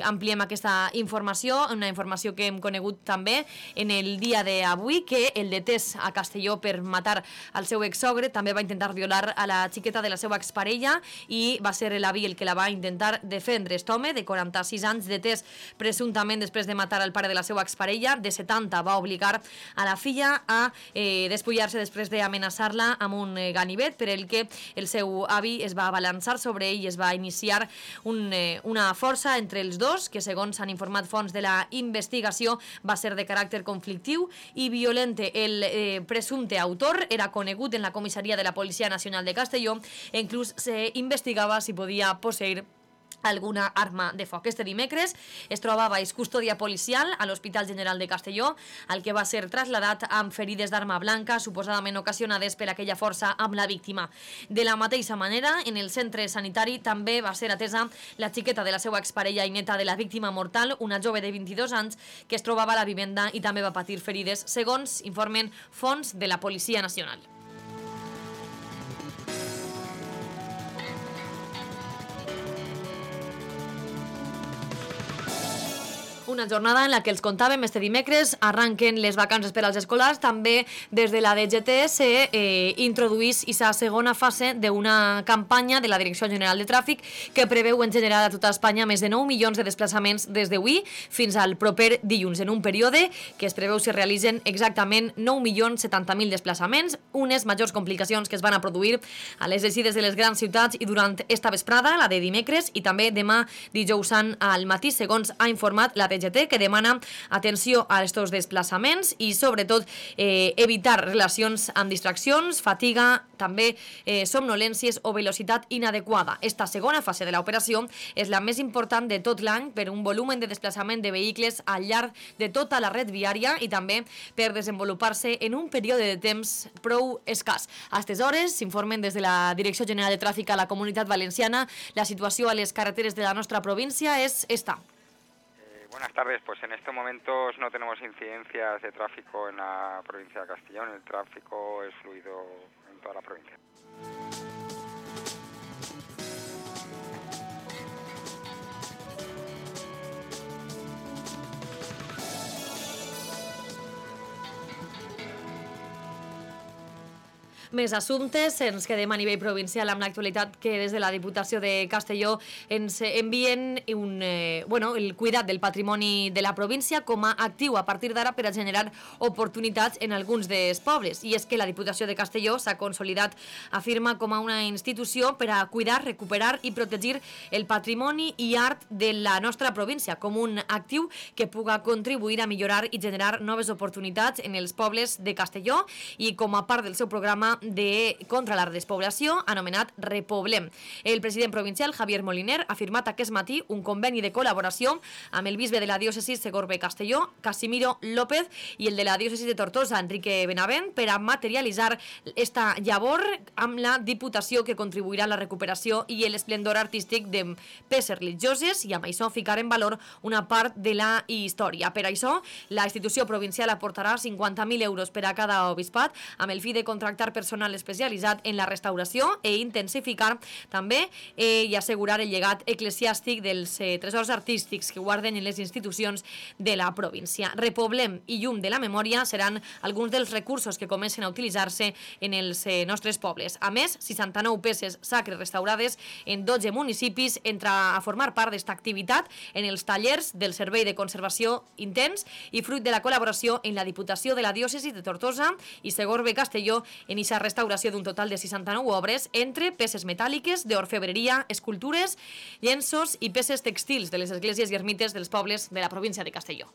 Ampliem aquesta informació, una informació que hem conegut també en el dia d'avui, que el detès a Castelló per matar el seu exsogre també va intentar violar a la xiqueta de la seva exparella i va ser l'avi el que la va intentar defendre. Aquest home, de 46 anys, detès presumptament després de matar el pare de la seva exparella, de 70, va obligar a la filla a despullar-se després d'amenaçar-la amb un ganivet, per el que el seu avi es va abalançar sobre ell i es va iniciar una força entre els dos, que segons han informat fonts de la investigació va ser de caràcter conflictiu i violent. El presumpte autor era conegut en la comissaria de la Policia Nacional de Castelló e inclús s'investigava si podia posseir alguna arma de foc. Este dimecres es trobava baix custòdia policial a l'Hospital General de Castelló, al que va ser trasladat amb ferides d'arma blanca suposadament ocasionades per aquella força amb la víctima. De la mateixa manera, en el centre sanitari també va ser atesa la xiqueta de la seva exparella i neta de la víctima mortal, una jove de 22 anys que es trobava a la vivenda i també va patir ferides, segons informen fonts de la Policia Nacional. Una jornada en la que els contàvem este dimecres arranquen les vacances per als escolars. També des de la DGT s'introduís aquesta segona fase d'una campanya de la Direcció General de Tràfic que preveu en general a tota Espanya més de 9 milions de desplaçaments des d'avui fins al proper dilluns, en un període que es preveu se realitzen exactament 9.070.000 desplaçaments, unes majors complicacions que es van a produir a les eixides de les grans ciutats i durant esta vesprada, la de dimecres, i també demà dijous sant al matí, segons ha informat la DGT, que demana atenció a estos desplaçaments i sobretot evitar relacions amb distraccions, fatiga, també somnolències o velocitat inadequada. Esta segona fase de l'operació és la més important de tot l'any per un volum de desplaçament de vehicles al llarg de tota la red viària i també per desenvolupar-se en un període de temps prou escàs. A aquestes hores s'informen des de la Direcció General de Tràfic a la Comunitat Valenciana. La situació a les carreteres de la nostra província és esta. Buenas tardes, pues en estos momentos no tenemos incidencias de tráfico en la provincia de Castellón, el tráfico es fluido en toda la provincia. Més assumptes, ens quedem a nivell provincial amb l'actualitat que des de la Diputació de Castelló ens envien el cuidat del patrimoni de la província com a actiu a partir d'ara per a generar oportunitats en alguns dels pobles. I és que la Diputació de Castelló s'ha consolidat, afirma, com a una institució per a cuidar, recuperar i protegir el patrimoni i art de la nostra província, com un actiu que puga contribuir a millorar i generar noves oportunitats en els pobles de Castelló i com a part del seu programa contra la despoblació anomenat Repoblem. El president provincial, Javier Moliner, ha firmat aquest matí un conveni de col·laboració amb el bisbe de la diòcesi Segorbe-Castelló, Casimiro López, i el de la diòcesi de Tortosa, Enrique Benavent, per a materialitzar esta llavor amb la Diputació que contribuirà a la recuperació i l'esplendor artístic de peces religioses i amb això ficar en valor una part de la història. Per això, la institució provincial aportarà 50.000 euros per a cada obispat amb el fi de contractar personal especialitzat en la restauració i intensificar també i assegurar el llegat eclesiàstic dels tresors artístics que guarden en les institucions de la província. Repoblem i llum de la memòria seran alguns dels recursos que comencen a utilitzar-se en els nostres pobles. A més, 69 peces sacres restaurades en 12 municipis entra a formar part d'esta activitat en els tallers del Servei de Conservació Intens i fruit de la col·laboració en la Diputació de la Diòcesi de Tortosa i Segorbe-Castelló en aquesta restauració d'un total de 69 obres entre peces metàl·liques, d'orfebreria, escultures, llenços i peces textils de les esglésies i ermites dels pobles de la província de Castelló.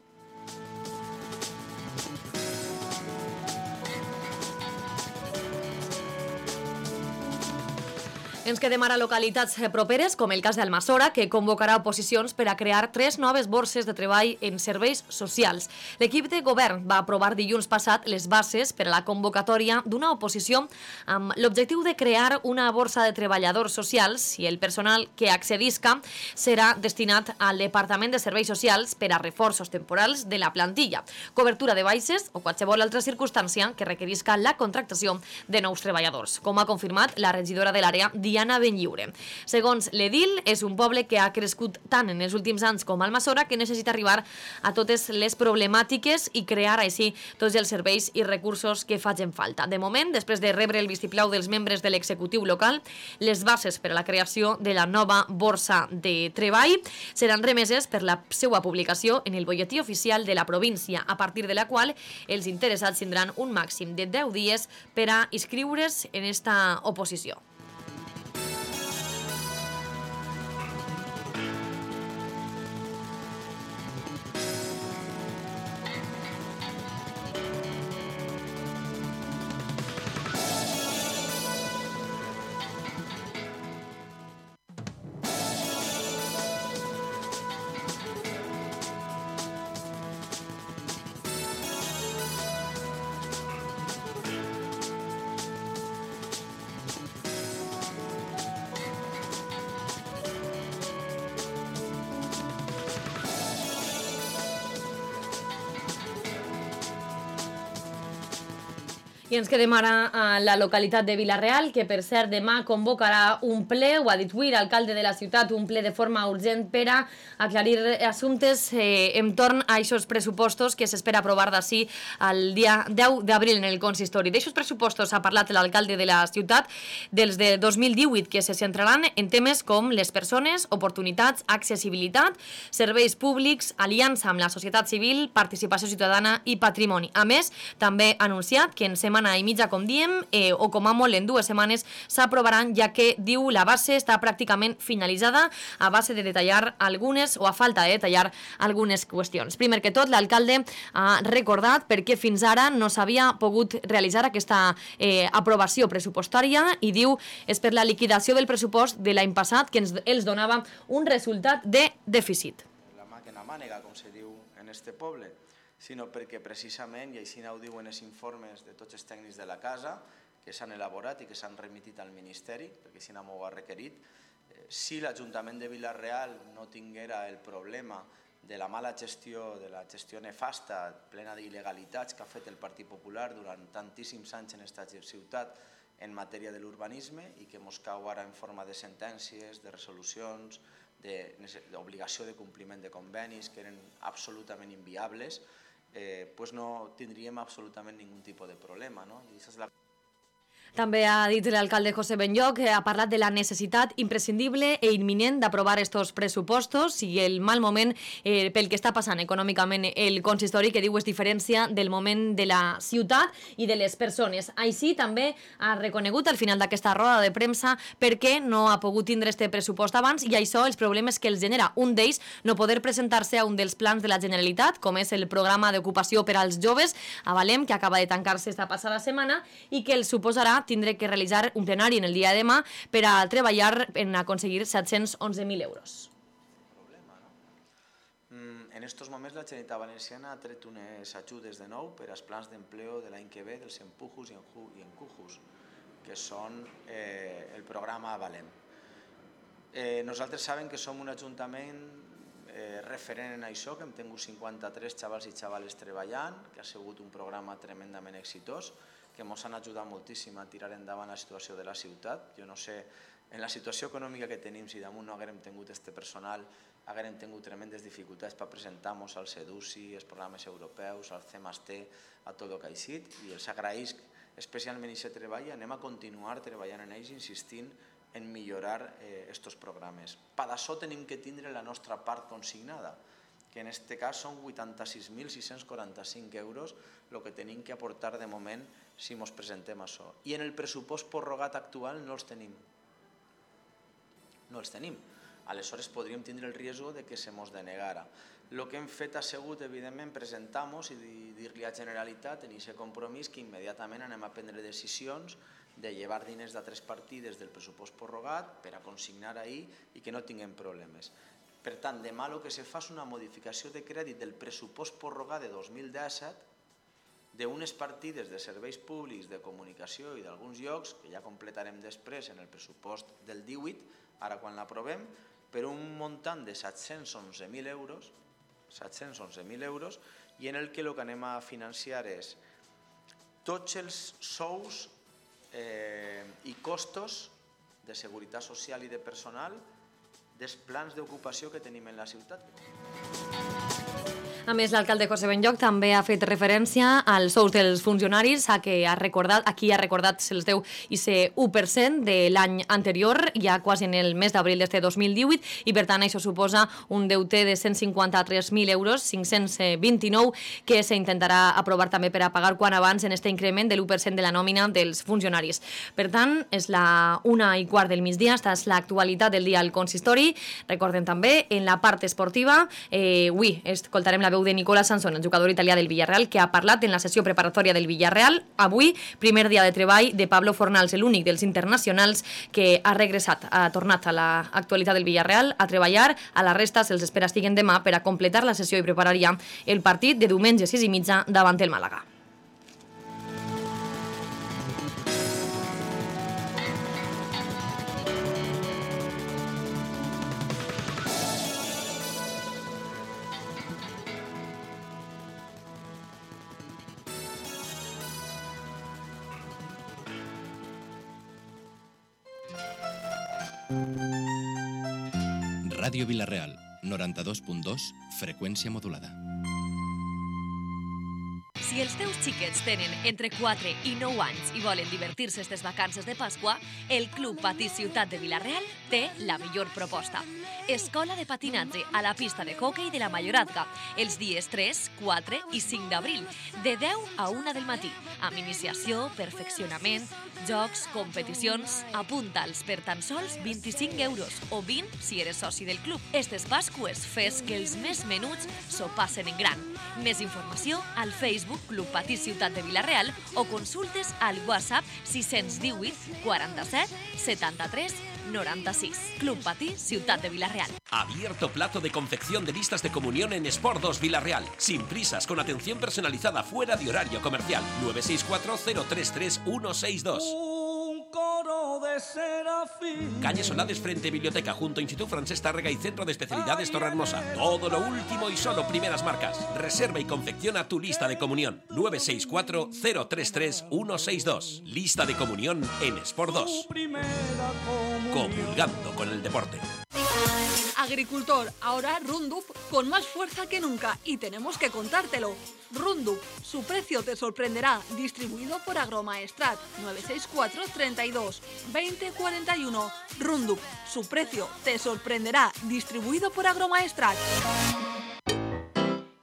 Ens quedem ara a localitats properes, com el cas d'Almassora, que convocarà oposicions per a crear 3 noves borses de treball en serveis socials. L'equip de govern va aprovar dilluns passat les bases per a la convocatòria d'una oposició amb l'objectiu de crear una borsa de treballadors socials i el personal que accedisca serà destinat al Departament de Serveis Socials per a reforços temporals de la plantilla, cobertura de baixes o qualsevol altra circumstància que requerisca la contractació de nous treballadors, com ha confirmat la regidora de l'àrea, Diana Tiana Benlliure. Segons l'edil, és un poble que ha crescut tant en els últims anys com Almassora que necessita arribar a totes les problemàtiques i crear així tots els serveis i recursos que facin falta. De moment, després de rebre el vistiplau dels membres de l'executiu local, les bases per a la creació de la nova borsa de treball seran remeses per la seva publicació en el butlletí oficial de la província, a partir de la qual els interessats tindran un màxim de 10 dies per a inscriure's en esta oposició. I ens quedem ara a la localitat de Vila-real, que per cert demà convocarà un ple, ho ha dit avui l'alcalde de la ciutat, un ple de forma urgent per a aclarir assumptes entorn a aquests pressupostos que s'espera aprovar d'ací el dia 10 d'abril en el consistori. D'aixos pressupostos ha parlat l'alcalde de la ciutat, dels de 2018, que se centraran en temes com les persones, oportunitats, accessibilitat, serveis públics, aliança amb la societat civil, participació ciutadana i patrimoni. A més, també ha anunciat que en setmana i mitja, com diem, o com a molt en 2 setmanes, s'aprovaran, ja que, diu, la base està pràcticament finalitzada a base de detallar algunes, o a falta de detallar algunes qüestions. Primer que tot, l'alcalde ha recordat per què fins ara no s'havia pogut realitzar aquesta aprovació pressupostària i diu és per la liquidació del pressupost de l'any passat que els donava un resultat de dèficit. La màquina mànega, com se diu en este poble, sinó perquè precisament, i així ho diuen els informes de tots els tècnics de la casa, que s'han elaborat i que s'han remitit al Ministeri, perquè així m'ho ha requerit, si l'Ajuntament de Vila-real no tinguera el problema de la mala gestió, de la gestió nefasta, plena d'il·legalitats que ha fet el Partit Popular durant tantíssims anys en aquesta ciutat en matèria de l'urbanisme i que mos cau ara en forma de sentències, de resolucions, d'obligació de compliment de convenis que eren absolutament inviables, pues no tindríem absolutament ningun tipus de problema, no? I aquesta és la... També ha dit l'alcalde José Benlloc que ha parlat de la necessitat imprescindible e imminent d'aprovar estos pressupostos i el mal moment pel que està passant econòmicament el consistori, que diu es diferència del moment de la ciutat i de les persones. Així també ha reconegut al final d'aquesta roda de premsa per què no ha pogut tindre este pressupost abans i això els problemes que els genera. Un d'ells, no poder presentar-se a un dels plans de la Generalitat, com és el programa d'ocupació per als joves, a Valem, que acaba de tancar-se esta passada setmana i que els suposarà tindré que realitzar un plenari en el dia de demà per a treballar en aconseguir 711.000 euros. En estos moments la Generalitat Valenciana ha tret unes ajudes de nou per als plans d'empleo de l'any que ve dels Empujos i Encujos, que són el programa Valem. Nosaltres sabem que som un ajuntament referent en això, que hem tingut 53 xavals i xavales treballant, que ha sigut un programa tremendament exitós, que ens han ajudat moltíssim a tirar endavant la situació de la ciutat. Jo no sé, en la situació econòmica que tenim, si damunt no haguérem tingut este personal, haguérem tingut tremendes dificultats per presentar-nos al SEDUSI, als programes europeus, al CEMAST, a tot el que ha eixit, i els agraïsc especialment aquest treball. Anem a continuar treballant en ells, insistint en millorar aquests programes. Per això tenim que tindre la nostra part consignada, que en aquest cas són 86.645 euros el que tenim que aportar de moment si ens presentem això. I en el pressupost prorrogat actual no els tenim. No els tenim. Aleshores podríem tindre el risc de que se ens denegara. El que hem fet ha sigut, evidentment, presentar-nos i dir-li a Generalitat en aquest compromís que immediatament anem a prendre decisions de llevar diners d'altres partides del pressupost prorrogat per a consignar ahir i que no tinguem problemes. Per tant, demà el que se fa és una modificació de crèdit del pressupost prorrogat de 2017 d'unes partides de serveis públics, de comunicació i d'alguns llocs, que ja completarem després en el pressupost del 18, ara quan l'aprovem, per un muntant de 711.000 euros, i en el que anem a financiar és tots els sous i costos de seguretat social i de personal dels plans d'ocupació que tenim en la ciutat. A més, l'alcalde José Benlloch també ha fet referència als sous dels funcionaris, a qui ha recordat se'ls deu i ser 1% de l'any anterior, ja quasi en el mes d'abril d'este 2018, i per tant això suposa un deute de 153.000 euros, 529, que s'intentarà aprovar també per a pagar quan abans en este increment de l'1% de la nòmina dels funcionaris. Per tant, és la 1:15 del migdia, esta és l'actualitat del dia al consistori. Recordem també, en la part esportiva, avui escoltarem la veu de Nicola Sansón, el jugador italià del Villarreal, que ha parlat en la sessió preparatòria del Villarreal. Avui, primer dia de treball de Pablo Fornals, l'únic dels internacionals que ha regressat, ha tornat a l'actualitat del Villarreal a treballar. A la resta se'ls espera estiguen demà per a completar la sessió i preparar ja el partit de diumenge 6:30 davant el Màlaga. Ràdio Vilareal, 92.2, freqüència modulada. Si els teus xiquets tenen entre 4 i 9 anys i volen divertir-se aquestes vacances de Pasqua, el Club Patí Ciutat de Vila-real té la millor proposta. Escola de patinatge a la pista de hoquei de la Mayorazga, els dies 3, 4 i 5 d'abril, de 10 a 1 del matí, amb iniciació, perfeccionament, jocs, competicions. Apunta'ls per tan sols 25 euros o 20 si eres soci del club. Estes Pasques fes que els més menuts s'ho passen en gran. Més informació al Facebook Club Patí Ciutat de Vila-real o consultes al WhatsApp 618 47 73 96. Club Patí Ciutat de Vila-real. Abierto plazo de confección de listas de comunión en Sport 2 Vila-real. Sin prisas, con atención personalizada fuera de horario comercial. 964 033 162. Calle Solades frente Biblioteca, junto a Instituto Francesc Tárrega y Centro de Especialidades Torrehermosa. Todo lo último y solo primeras marcas. Reserva y confecciona tu lista de comunión. 964 033 162. Lista de comunión en Sport 2. Comulgando con el deporte. Agricultor, ahora Roundup con más fuerza que nunca y tenemos que contártelo. Roundup, su precio te sorprenderá, distribuido por Agromaestrat, 964 32 20 41. Roundup, su precio te sorprenderá, distribuido por Agromaestrat.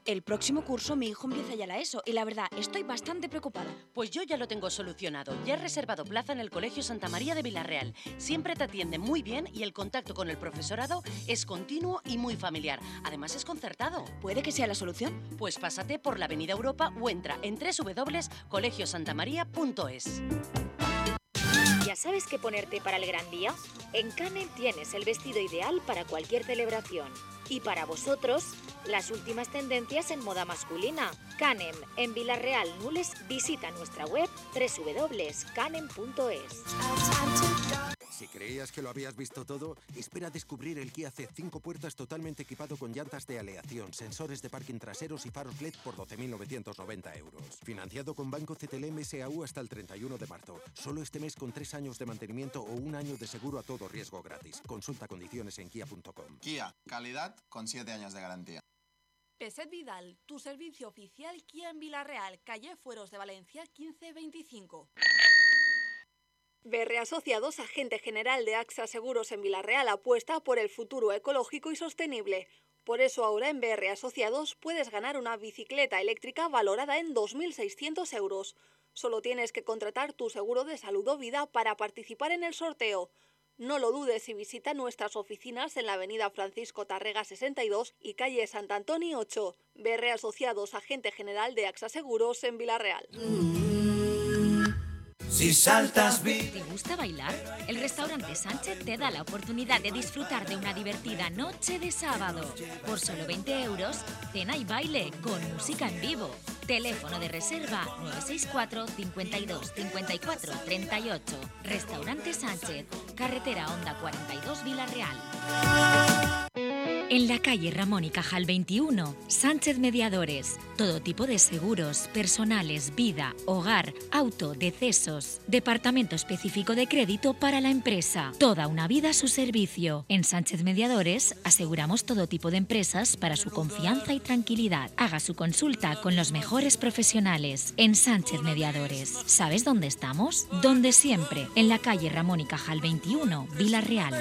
El próximo curso mi hijo empieza ya la ESO y la verdad estoy bastante preocupada. Pues yo ya lo tengo solucionado. Ya he reservado plaza en el Colegio Santa María de Vila-real. Siempre te atienden muy bien y el contacto con el profesorado es continuo y muy familiar. Además es concertado. ¿Puede que sea la solución? Pues pásate por la Avenida Europa o entra en www.colegiosantamaria.es. ¿Ya sabes qué ponerte para el gran día? En Canem tienes el vestido ideal para cualquier celebración. Y para vosotros, las últimas tendencias en moda masculina. Canem, en Vila-real, Nules, visita nuestra web www.canem.es. Si creías que lo habías visto todo, espera a descubrir el Kia C 5 puertas totalmente equipado con llantas de aleación, sensores de parking traseros y faros LED por 12.990 euros. Financiado con Banco CTLM SAU hasta el 31 de marzo. Solo este mes con 3 años de mantenimiento o 1 año de seguro a todo riesgo gratis. Consulta condiciones en kia.com. Kia, calidad con 7 años de garantía. Peset Vidal, tu servicio oficial Kia en Vila-real, calle Fueros de Valencia 1525. BR Asociados, agente general de AXA Seguros en Vila-real, apuesta por el futuro ecológico y sostenible. Por eso ahora en BR Asociados puedes ganar una bicicleta eléctrica valorada en 2.600 euros. Solo tienes que contratar tu seguro de salud o vida para participar en el sorteo. No lo dudes y visita nuestras oficinas en la avenida Francisco Tárrega 62 y calle Sant Antoni 8. BR Asociados, agente general de AXA Seguros en Vila-real. Si saltas ¿Te gusta bailar? El restaurante Sánchez te da la oportunidad de disfrutar de una divertida noche de sábado. Por solo 20 euros, cena y baile con música en vivo. Teléfono de reserva 964 52 54 38. Restaurante Sánchez, carretera Honda 42 Vila-real. En la calle Ramón y Cajal 21, Sánchez Mediadores. Todo tipo de seguros, personales, vida, hogar, auto, decesos. Departamento específico de crédito para la empresa. Toda una vida a su servicio. En Sánchez Mediadores aseguramos todo tipo de empresas para su confianza y tranquilidad. Haga su consulta con los mejores profesionales. En Sánchez Mediadores. ¿Sabes dónde estamos? Donde siempre. En la calle Ramón y Cajal 21, Vila-real.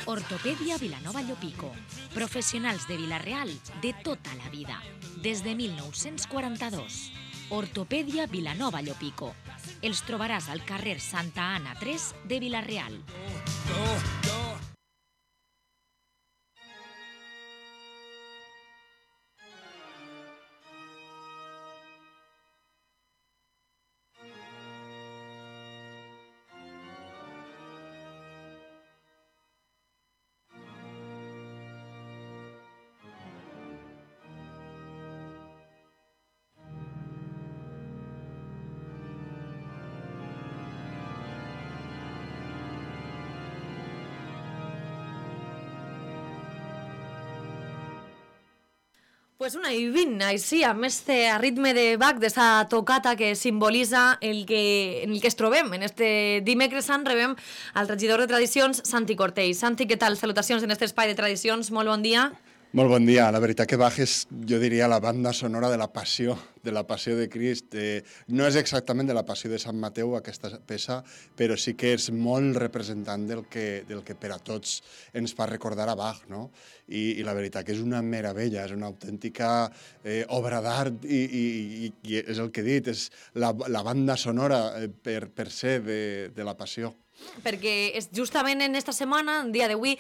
Ortopedia Vilanova Llopico. Professionals de Vila-real de tota la vida. Des de 1942. Ortopedia Vilanova Llopico. Els trobaràs al carrer Santa Anna 3 de Vila-real. Pues una i 20, així, amb este ritme de Bach, d'esta tocata que simbolitza en el que es trobem. En este dimecres sant rebem al regidor de Tradicions, Santi Cortell. Santi, què tal? Salutacions en este espai de Tradicions. Molt bon dia. Molt bon dia. La veritat que Bach és, jo diria, la banda sonora de la passió de Crist. No és exactament de la passió de Sant Mateu, aquesta peça, però sí que és molt representant del que per a tots ens fa recordar a Bach, no? I la veritat que és una meravella, és una autèntica obra d'art i és el que he dit, és la banda sonora per ser de la passió. Perquè és justament en esta setmana, en dia d'avui,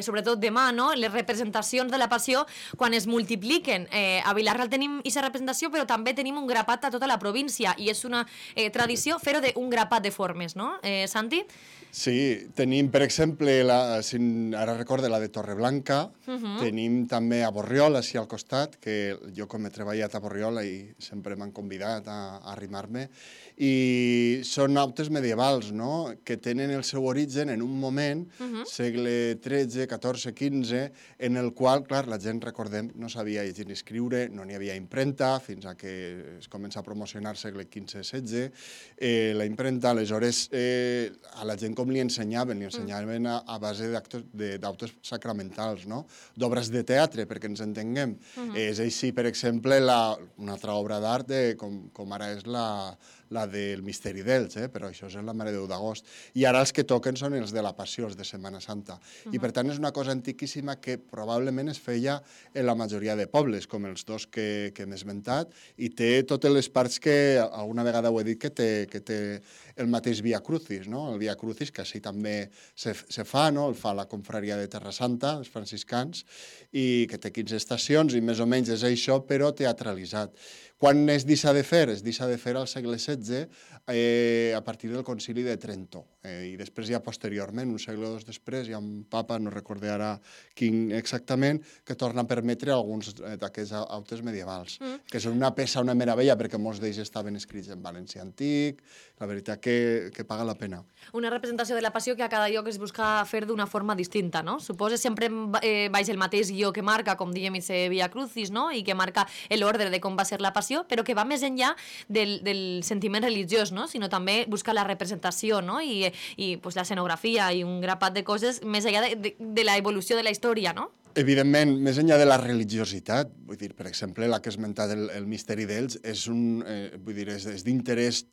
sobretot demà, no? Les representacions de la Passió, quan es multipliquen. A Vila-real tenim aquesta representació, però també tenim un grapat a tota la província, i és una tradició fer-ho d'un grapat de formes, no, Santi? Sí, tenim, per exemple, ara recordo la de Torreblanca, tenim també a Borriol, així al costat, que jo com he treballat a Borriol i sempre m'han convidat a arrimar-me, i són autes medievals, no?, que tenen el seu origen en un moment, segle XIII, XIV, XV, en el qual, clar, la gent, recordem, no sabia llegir ni escriure, no n'hi havia impremta, fins a que es comença a promocionar segle XV-XVI, la impremta, aleshores, a la gent com li ensenyaven a base d'autors sacramentals, no?, d'obres de teatre, perquè ens entenguem. És així, per exemple, una altra obra d'art com ara és la del Misteri d'Elx, però això és la Mare de Déu d'Agost. I ara els que toquen són els de la Passió, els de Setmana Santa. I per tant és una cosa antiquíssima que probablement es feia en la majoria de pobles, com els dos que hem esmentat, i té totes les parts que alguna vegada ho he dit que té el mateix Via Crucis, no? El Via Crucis, que així també se fa, no? El fa la confraria de Terra Santa, els franciscans, i que té 15 estacions, i més o menys és això, però teatralitzat. Quan es deixa de fer? Es deixa de fer al segle XVI a partir del Concili de Trento. I després ja posteriorment, un segle o dos després, hi ha un papa, no recordo ara quin exactament, que torna a permetre alguns d'aquests autes medievals, que són una peça, una meravella, perquè molts d'ells estaven escrits en valencià antic, la veritat que paga la pena. Una representació de la Passió que a cada lloc es busca fer d'una forma distinta, no? Suposo sempre baix el mateix guió que marca, com diguem, ese Via Crucis, no? I que marca l'ordre de com va ser la Passió, però que va més enllà del sentiment religiós, no? Sinó també busca la representació, no? I pues, l'escenografia i un grapat de coses més enllà de l'evolució de la història, no? Evidentment, més enllà de la religiositat, vull dir, per exemple, la que has esmentat el Misteri d'Elx, és d'interès,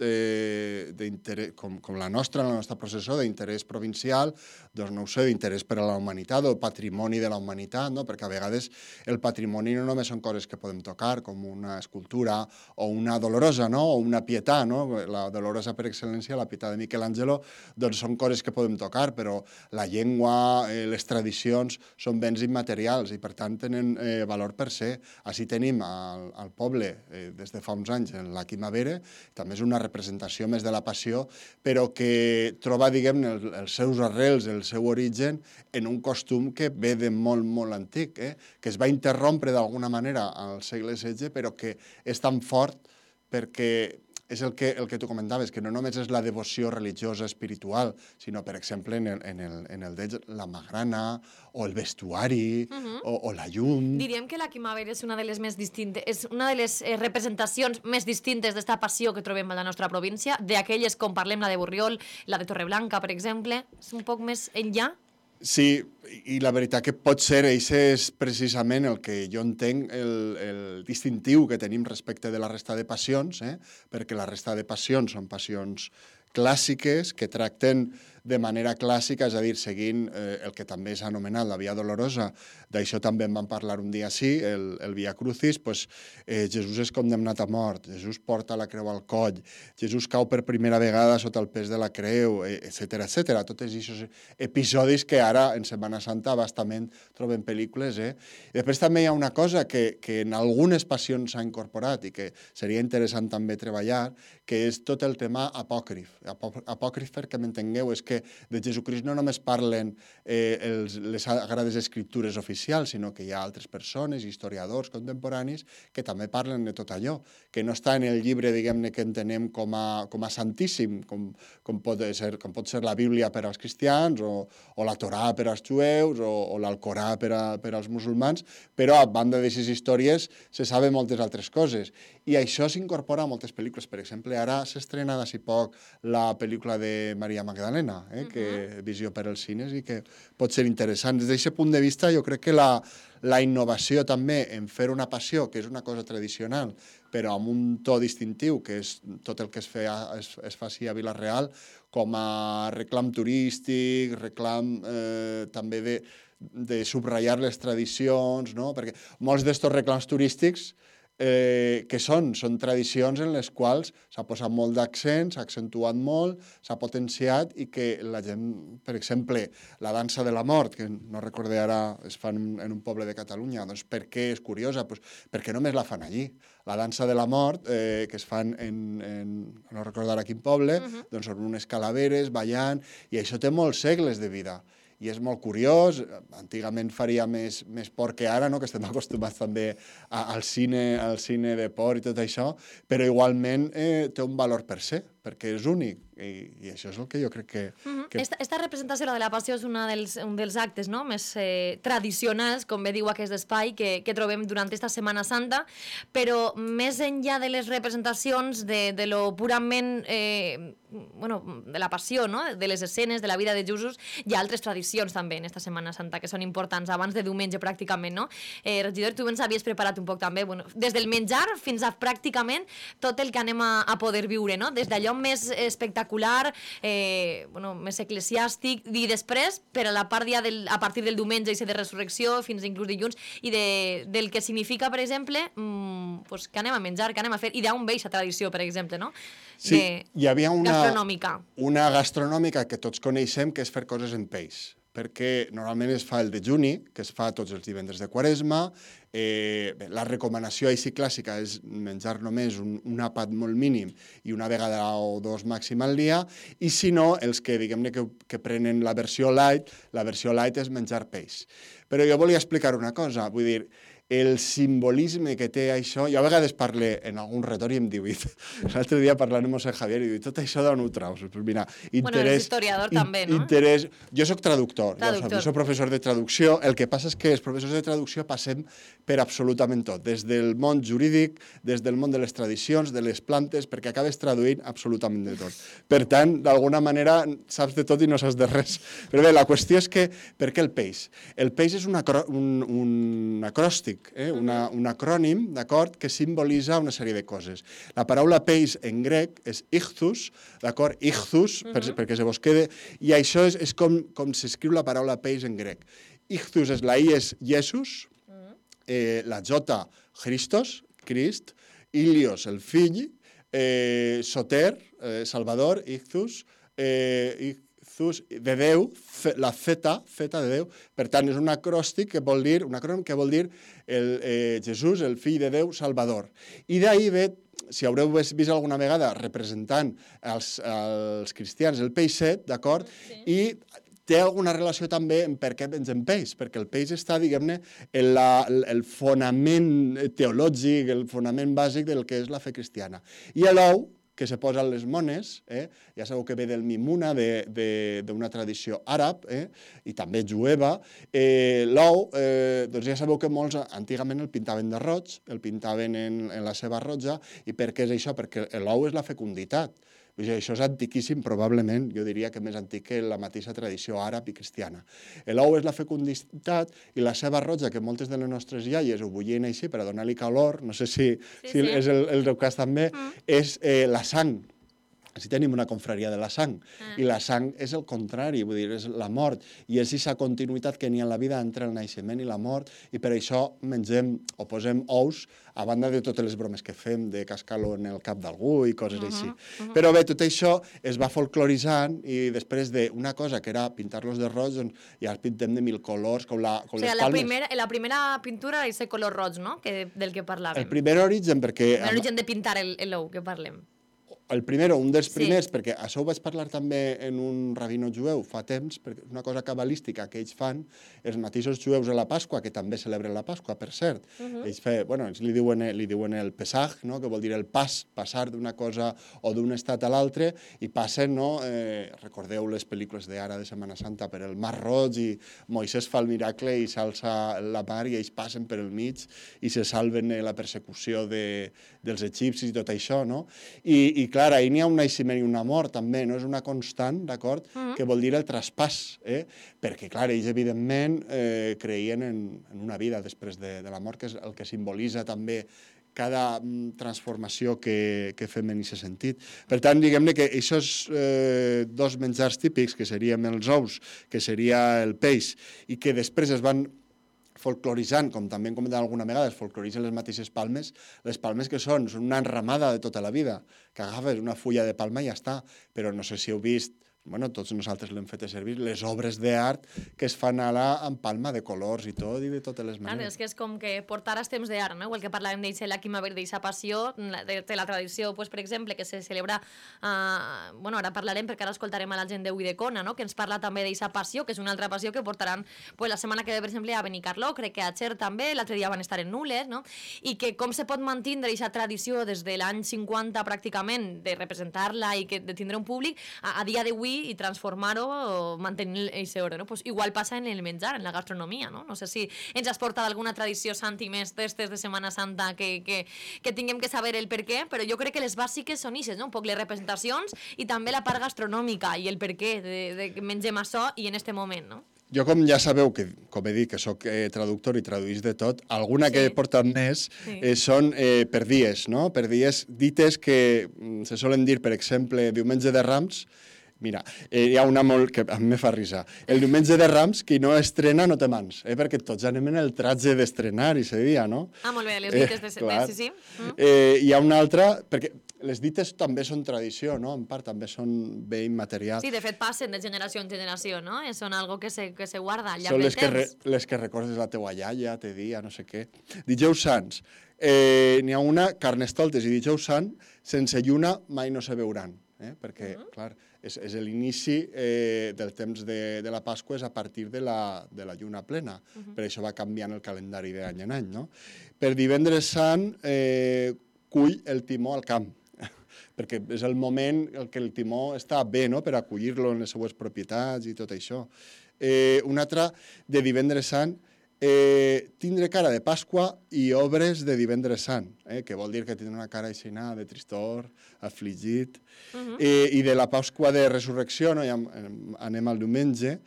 com la nostra processó, d'interès provincial, doncs no ho sé, d'interès per a la humanitat o patrimoni de la humanitat, no? Perquè a vegades el patrimoni no només són coses que podem tocar, com una escultura o una Dolorosa, no? O una Pietà, no? La Dolorosa per excel·lència, la Pietà de Michelangelo, doncs són coses que podem tocar, però la llengua, les tradicions, són béns immaterials i per tant tenen valor per ser. Així tenim al poble des de fa uns anys en la Quimavera, també és una representació més de la Passió, però que troba, diguem-ne, els seus arrels, el seu origen en un costum que ve de molt, molt antic, que es va interrompre d'alguna manera al segle XVI, però que és tan fort perquè és el que tu comentaves, que no només és la devoció religiosa espiritual, sinó, per exemple, en el d'ells, la magrana, o el vestuari, o la llum. Diríem que la Quimavera és una de les més distintes, és una de les representacions més distintes d'esta passió que trobem a la nostra província, d'aquelles com parlem, la de Borriol, la de Torreblanca, per exemple, és un poc més enllà? Sí, i la veritat que pot ser, això és precisament el que jo entenc, el distintiu que tenim respecte de la resta de passions, perquè la resta de passions són passions clàssiques que tracten de manera clàssica, és a dir, seguint el que també s'ha anomenat la Via Dolorosa, d'això també en vam parlar un dia sí, el Via Crucis, pues, Jesús és condemnat a mort, Jesús porta la creu al coll, Jesús cau per primera vegada sota el pes de la creu, etc. Tots aquests episodis que ara en Setmana Santa bastament trobem pel·lícules. I després també hi ha una cosa que en algunes passions s'ha incorporat i que seria interessant també treballar, que és tot el tema apòcrif. Apòcrif, perquè m'entengueu, és que de Jesucrist no només parlen les Sagrades Escriptures oficials, sinó que hi ha altres persones, historiadors contemporanis, que també parlen de tot allò, que no està en el llibre, diguem-ne, que entenem com a santíssim, com pot ser la Bíblia per als cristians, o la Torà per als jueus, o l'Alcorà per als musulmans, però a banda d'aquestes històries se saben moltes altres coses. I això s'incorpora a moltes pel·lícules. Per exemple, ara s'estrena d'ací poc la pel·lícula de Maria Magdalena, que Visió per als cines, i que pot ser interessant. Des d'aquest punt de vista, jo crec que la innovació també en fer una passió, que és una cosa tradicional, però amb un to distintiu, que és tot el que es faci a Vila-real, com a reclam turístic, reclam també de subratllar les tradicions, no? Perquè molts d'estos reclams turístics que són tradicions en les quals s'ha posat molt d'accent, s'ha accentuat molt, s'ha potenciat i que la gent, per exemple, la dansa de la mort, que no recordé ara, es fan en un poble de Catalunya, doncs per què és curiosa? Pues perquè només la fan allí. La dansa de la mort, que es fan no recordo ara quin poble, doncs són unes calaveres ballant, i això té molts segles de vida. I és molt curiós, antigament faria més por que ara, no? Que estem acostumats també al cine de por i tot això, però igualment té un valor per se, perquè és únic, i això és el que jo crec que... Esta representació de la Passió és un dels actes més tradicionals, com bé diu aquest espai, que trobem durant aquesta Setmana Santa, però més enllà de les representacions de lo purament, de la Passió, de les escenes, de la vida de Jesús, hi ha altres tradicions també en esta Setmana Santa que són importants, abans de diumenge pràcticament, no? Regidor, tu ens havies preparat un poc també, des del menjar fins a pràcticament tot el que anem a poder viure, no? Des d'allò més espectacular, més eclesiàstic, i després, per a la part ja a partir del diumenge i de resurrecció, fins inclús dilluns, i del que significa, per exemple, que anem a menjar, que anem a fer, i d'on ve aquesta tradició, per exemple, no? Sí, hi havia una gastronòmica que tots coneixem, que és fer coses en peix, perquè normalment es fa el dejuni, que es fa tots els divendres de Quaresma. La recomanació així clàssica és menjar només un àpat molt mínim i una vegada o dos màxim al dia, i si no, els que diguem-ne que prenen la versió light és menjar peix. Però jo volia explicar una cosa, vull dir, el simbolisme que té això, jo a vegades parlo en algun retor i em diu, l'altre dia parlant amb José Javier, i diu, tot això d'on ho traus? Pues mira, és historiador també, no? Jo soc traductor, jo soc professor de traducció, el que passa és que els professors de traducció passem per absolutament tot, des del món jurídic, des del món de les tradicions, de les plantes, perquè acabes traduint absolutament de tot. Per tant, d'alguna manera, saps de tot i no saps de res. Però bé, la qüestió és que, per què el peix? El peix és un acròstic, un acrònim, d'acord, que simbolitza una sèrie de coses. La paraula peix en grec és ichthus, d'acord, ichthus, perquè se vos quede, i això és com s'escriu la paraula peix en grec. Ichthus és la I és Jesús, la J, Christos, Crist, Ilios, el fill, Soter, Salvador, Ichthus, de Déu, la zeta de Déu, per tant és un acròstic que vol dir, un acrònim que vol dir Jesús, el fill de Déu, Salvador. I d'ahir ve, si haureu vist alguna vegada representant els cristians el peixet, d'acord? I té alguna relació també amb per què mengem peix, perquè el peix està, diguem-ne, el fonament teològic, el fonament bàsic del que és la fe cristiana. I l'ou, que se posa a les mones, ja sabeu que ve del mimuna, d'una tradició àrab, i també jueva. L'ou, doncs ja sabeu que molts antigament el pintaven de roig, el pintaven en la seva roja, i per què és això? Perquè l'ou és la fecunditat. Això és antiquíssim, probablement, jo diria que més antic que la mateixa tradició àrab i cristiana. L'ou és la fecunditat i la seva roja, que moltes de les nostres iaies ho bullien així per a donar-li calor, no sé si és el teu cas també, és la sang. Així tenim una confraria de la sang, i la sang és el contrari, vull dir, és la mort, i és aquesta continuïtat que n'hi ha en la vida entre el naixement i la mort, i per això mengem o posem ous, a banda de totes les bromes que fem, de cascar-lo en el cap d'algú i coses així. Però bé, tot això es va folcloritzant, i després d'una cosa que era pintar-los de roig, doncs ja els pintem de 1000 colors, com les palmes. La primera pintura és el color roig, no?, del que parlàvem. El primer origen, perquè... L'origen de pintar l'ou, que parlem. El primer, un dels primers, perquè això ho vaig parlar també en un rabino jueu fa temps, perquè és una cosa cabalística que ells fan, els mateixos jueus a la Pasqua, que també celebren la Pasqua, per cert. Ells li diuen el Pesach, que vol dir el passar d'una cosa o d'un estat a l'altre, i passen, recordeu les pel·lícules d'ara de Setmana Santa, per el Mar Roig, i Moisès fa el miracle i s'alça la mar, i ells passen per el mig i se salven la persecució dels egipcis i tot això, no? I clar, ahir n'hi ha un naixement i una mort, també, no? És una constant, d'acord? Que vol dir el traspàs, perquè, clar, ells, evidentment, creien en una vida després de la mort, que és el que simbolitza també cada transformació que fem en aquest sentit. Per tant, diguem-ne que aquests dos menjars típics, que serien els ous, que seria el peix, i que després es van folcloritzant, com també hem comentat alguna vegada, es folcloritzen les mateixes palmes, les palmes que són una enramada de tota la vida, que agafes una fulla de palma i ja està, però no sé si heu vist, tots nosaltres l'hem fet servir, les obres d'art que es fan ara amb palma de colors i tot, i de totes les maneres. És que és com que portar els temps d'art, no? Igual que parlàvem d'eixa la Quimavera, d'eixa passió, de la tradició, per exemple, que se celebra, ara parlarem perquè ara escoltarem a la gent de Uidecona, que ens parla també d'eixa passió, que és una altra passió que portaran la setmana que ve, per exemple, a Benicarló, crec que a Xer també, l'altre dia van estar en Nules, i que com se pot mantenir aquesta tradició des de l'any 50 pràcticament, de representar-la i de tindre un públic, a dia d'avui i transformar-ho o mantenir aquest ordre, no? Pues igual passa en el menjar, en la gastronomia, no? No sé si ens has portat alguna tradició, Santi, més d'estes de Setmana Santa que tinguem que saber el per què, però jo crec que les bàsiques són ixes, no? Un poc les representacions i també la part gastronòmica i el per què de que mengem això i en este moment, no? Jo, com ja sabeu, que com he dit, que soc traductor i traduïs de tot, alguna que he portat més són per dies, no? Per dies dites que se solen dir, per exemple, diumenge de Rams. Mira, hi ha una molt que a mi me fa risar. El diumenge de Rams, qui no estrena no té mans, perquè tots anem en el tratge d'estrenar i se dia, no? Molt bé, les dites de sí. Hi ha una altra, perquè les dites també són tradició, no? En part també són bé immaterial. Sí, de fet passen de generació en generació, no? Són algo que se guarda al llarg del temps. Són les que recordes la teua iaia, te dia, no sé què. Dijous Sants, n'hi ha una, Carnestoltes i Dijous Sant, sense lluna mai no se veuran, perquè, clar, és l'inici del temps de la Pasqua, és a partir de la lluna plena. Per això va canviant el calendari d'any en any, no? Per Divendres Sant, cull el timó al camp, perquè és el moment en què el timó està bé, no?, per acollir-lo en les seues propietats i tot això. Un altre, de Divendres Sant, tindre cara de Pasqua i obres de Divendres Sant, que vol dir que tindre una cara aixina de tristor, afligit, i de la Pasqua de Resurrecció, no? Ja anem al diumenge.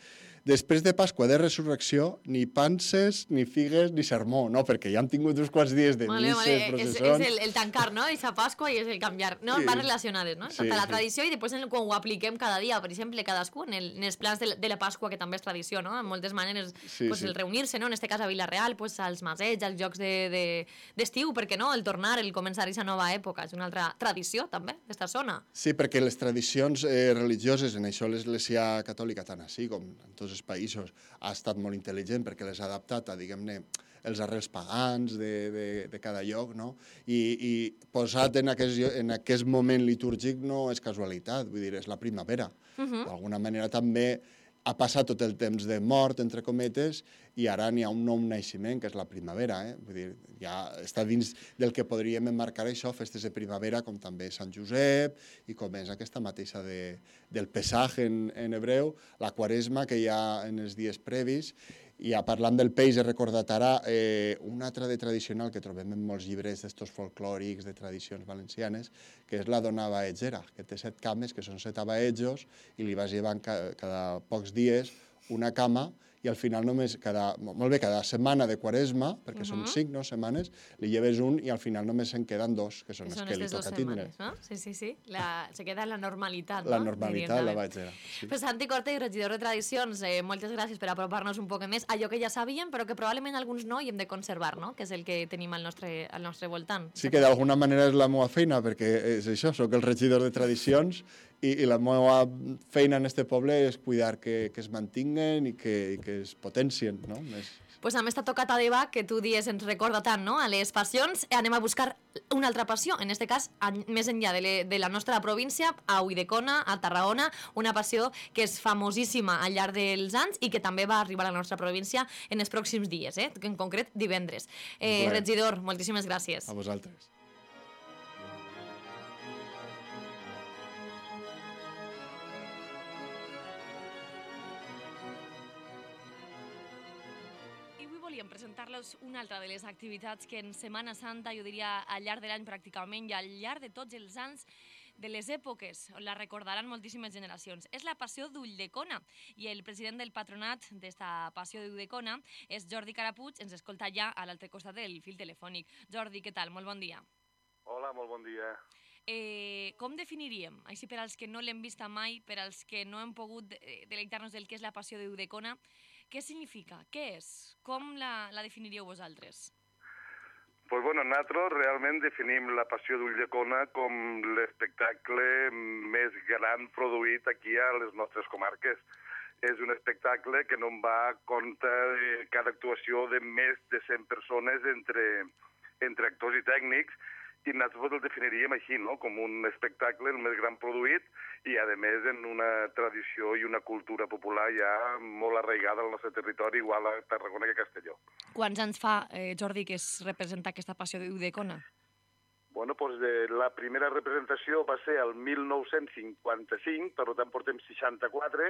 Després de Pasqua de Resurrecció, ni panses, ni figues, ni sermó, no? Perquè ja han tingut uns quants dies de misses, processons... És el tancar, no? Eixa Pasqua i és el canviar, no? Van relacionades, no? Tota la tradició i després quan ho apliquem cada dia, per exemple, cadascú, en els plans de la Pasqua, que també és tradició, no? En moltes maneres, el reunir-se, no? En este cas a Vila-real, als masets, als jocs d'estiu, per què no? El tornar, el començar aquesta nova època, és una altra tradició, també, d'esta zona. Sí, perquè les tradicions religioses, en això l'Església Catòlica, tant així com en tots els països, ha estat molt intel·ligent perquè les ha adaptat a, diguem-ne, els arrels pagans de cada lloc, no? I posat en aquest moment litúrgic no és casualitat, vull dir, és la primavera. D'alguna manera també ha passat tot el temps de mort, entre cometes, i ara n'hi ha un nou naixement, que és la primavera. Vull dir, ja està dins del que podríem emmarcar això, festes de primavera, com també Sant Josep, i com és aquesta mateixa del Pesach en hebreu, la Quaresma que hi ha en els dies previs. I parlant del peix, he recordat ara un altre de tradicional que trobem en molts llibres d'estos folclòrics, de tradicions valencianes, que és la dona abaetgera, que té 7 cames, que són 7 abaetjos, i li vas llevant cada pocs dies una cama, i al final només cada setmana de Quaresma, perquè són 5 setmanes, li lleves un i al final només se'n queden 2, que són els que li toca tindre. Sí. Se queda la normalitat, la normalitat, la abaetgera. Pues Santi Corte, regidor de Tradicions, moltes gràcies per apropar-nos un poc més allò que ja sabíem, però que probablement alguns no i hem de conservar, no? Que és el que tenim al nostre voltant. Sí, que d'alguna manera és la meva feina, perquè és això, soc el regidor de Tradicions i la meva feina en este poble és cuidar que es mantinguen i que es potencien, no? Pues amb esta tocata de Bach que tu dies ens recorda tant, no?, a les passions, anem a buscar una altra passió, en este cas, més enllà de la nostra província, a Ulldecona, a Tarragona, una passió que és famosíssima al llarg dels anys i que també va arribar a la nostra província en els pròxims dies, en concret divendres. Regidor, moltíssimes gràcies. A vosaltres. Volíem presentar-los una altra de les activitats que en Setmana Santa, jo diria al llarg de l'any pràcticament i al llarg de tots els anys de les èpoques, la recordaran moltíssimes generacions. És la Passió d'Ulldecona i el president del patronat d'esta Passió d'Ulldecona és Jordi Carapuig, ens escolta ja a l'altre costat del fil telefònic. Jordi, què tal? Molt bon dia. Hola, molt bon dia. Com definiríem, així per als que no l'hem vista mai, per als que no hem pogut deleitar-nos del que és la Passió d'Ulldecona, què significa? Què és? Com la definiríeu vosaltres? Pues bueno, nosaltres realment definim la Passió d'Ulldecona com l'espectacle més gran produït aquí a les nostres comarques. És un espectacle que no en va a compte de cada actuació de més de 100 persones entre actors i tècnics, i nosaltres el definiríem així, no?, com un espectacle el més gran produït i, a més, en una tradició i una cultura popular ja molt arraigada al nostre territori, igual a Tarragona que a Castelló. Quants anys fa, Jordi, que es representa aquesta Passió d'Ulldecona? Bueno, doncs la primera representació va ser el 1955, per tant portem 64,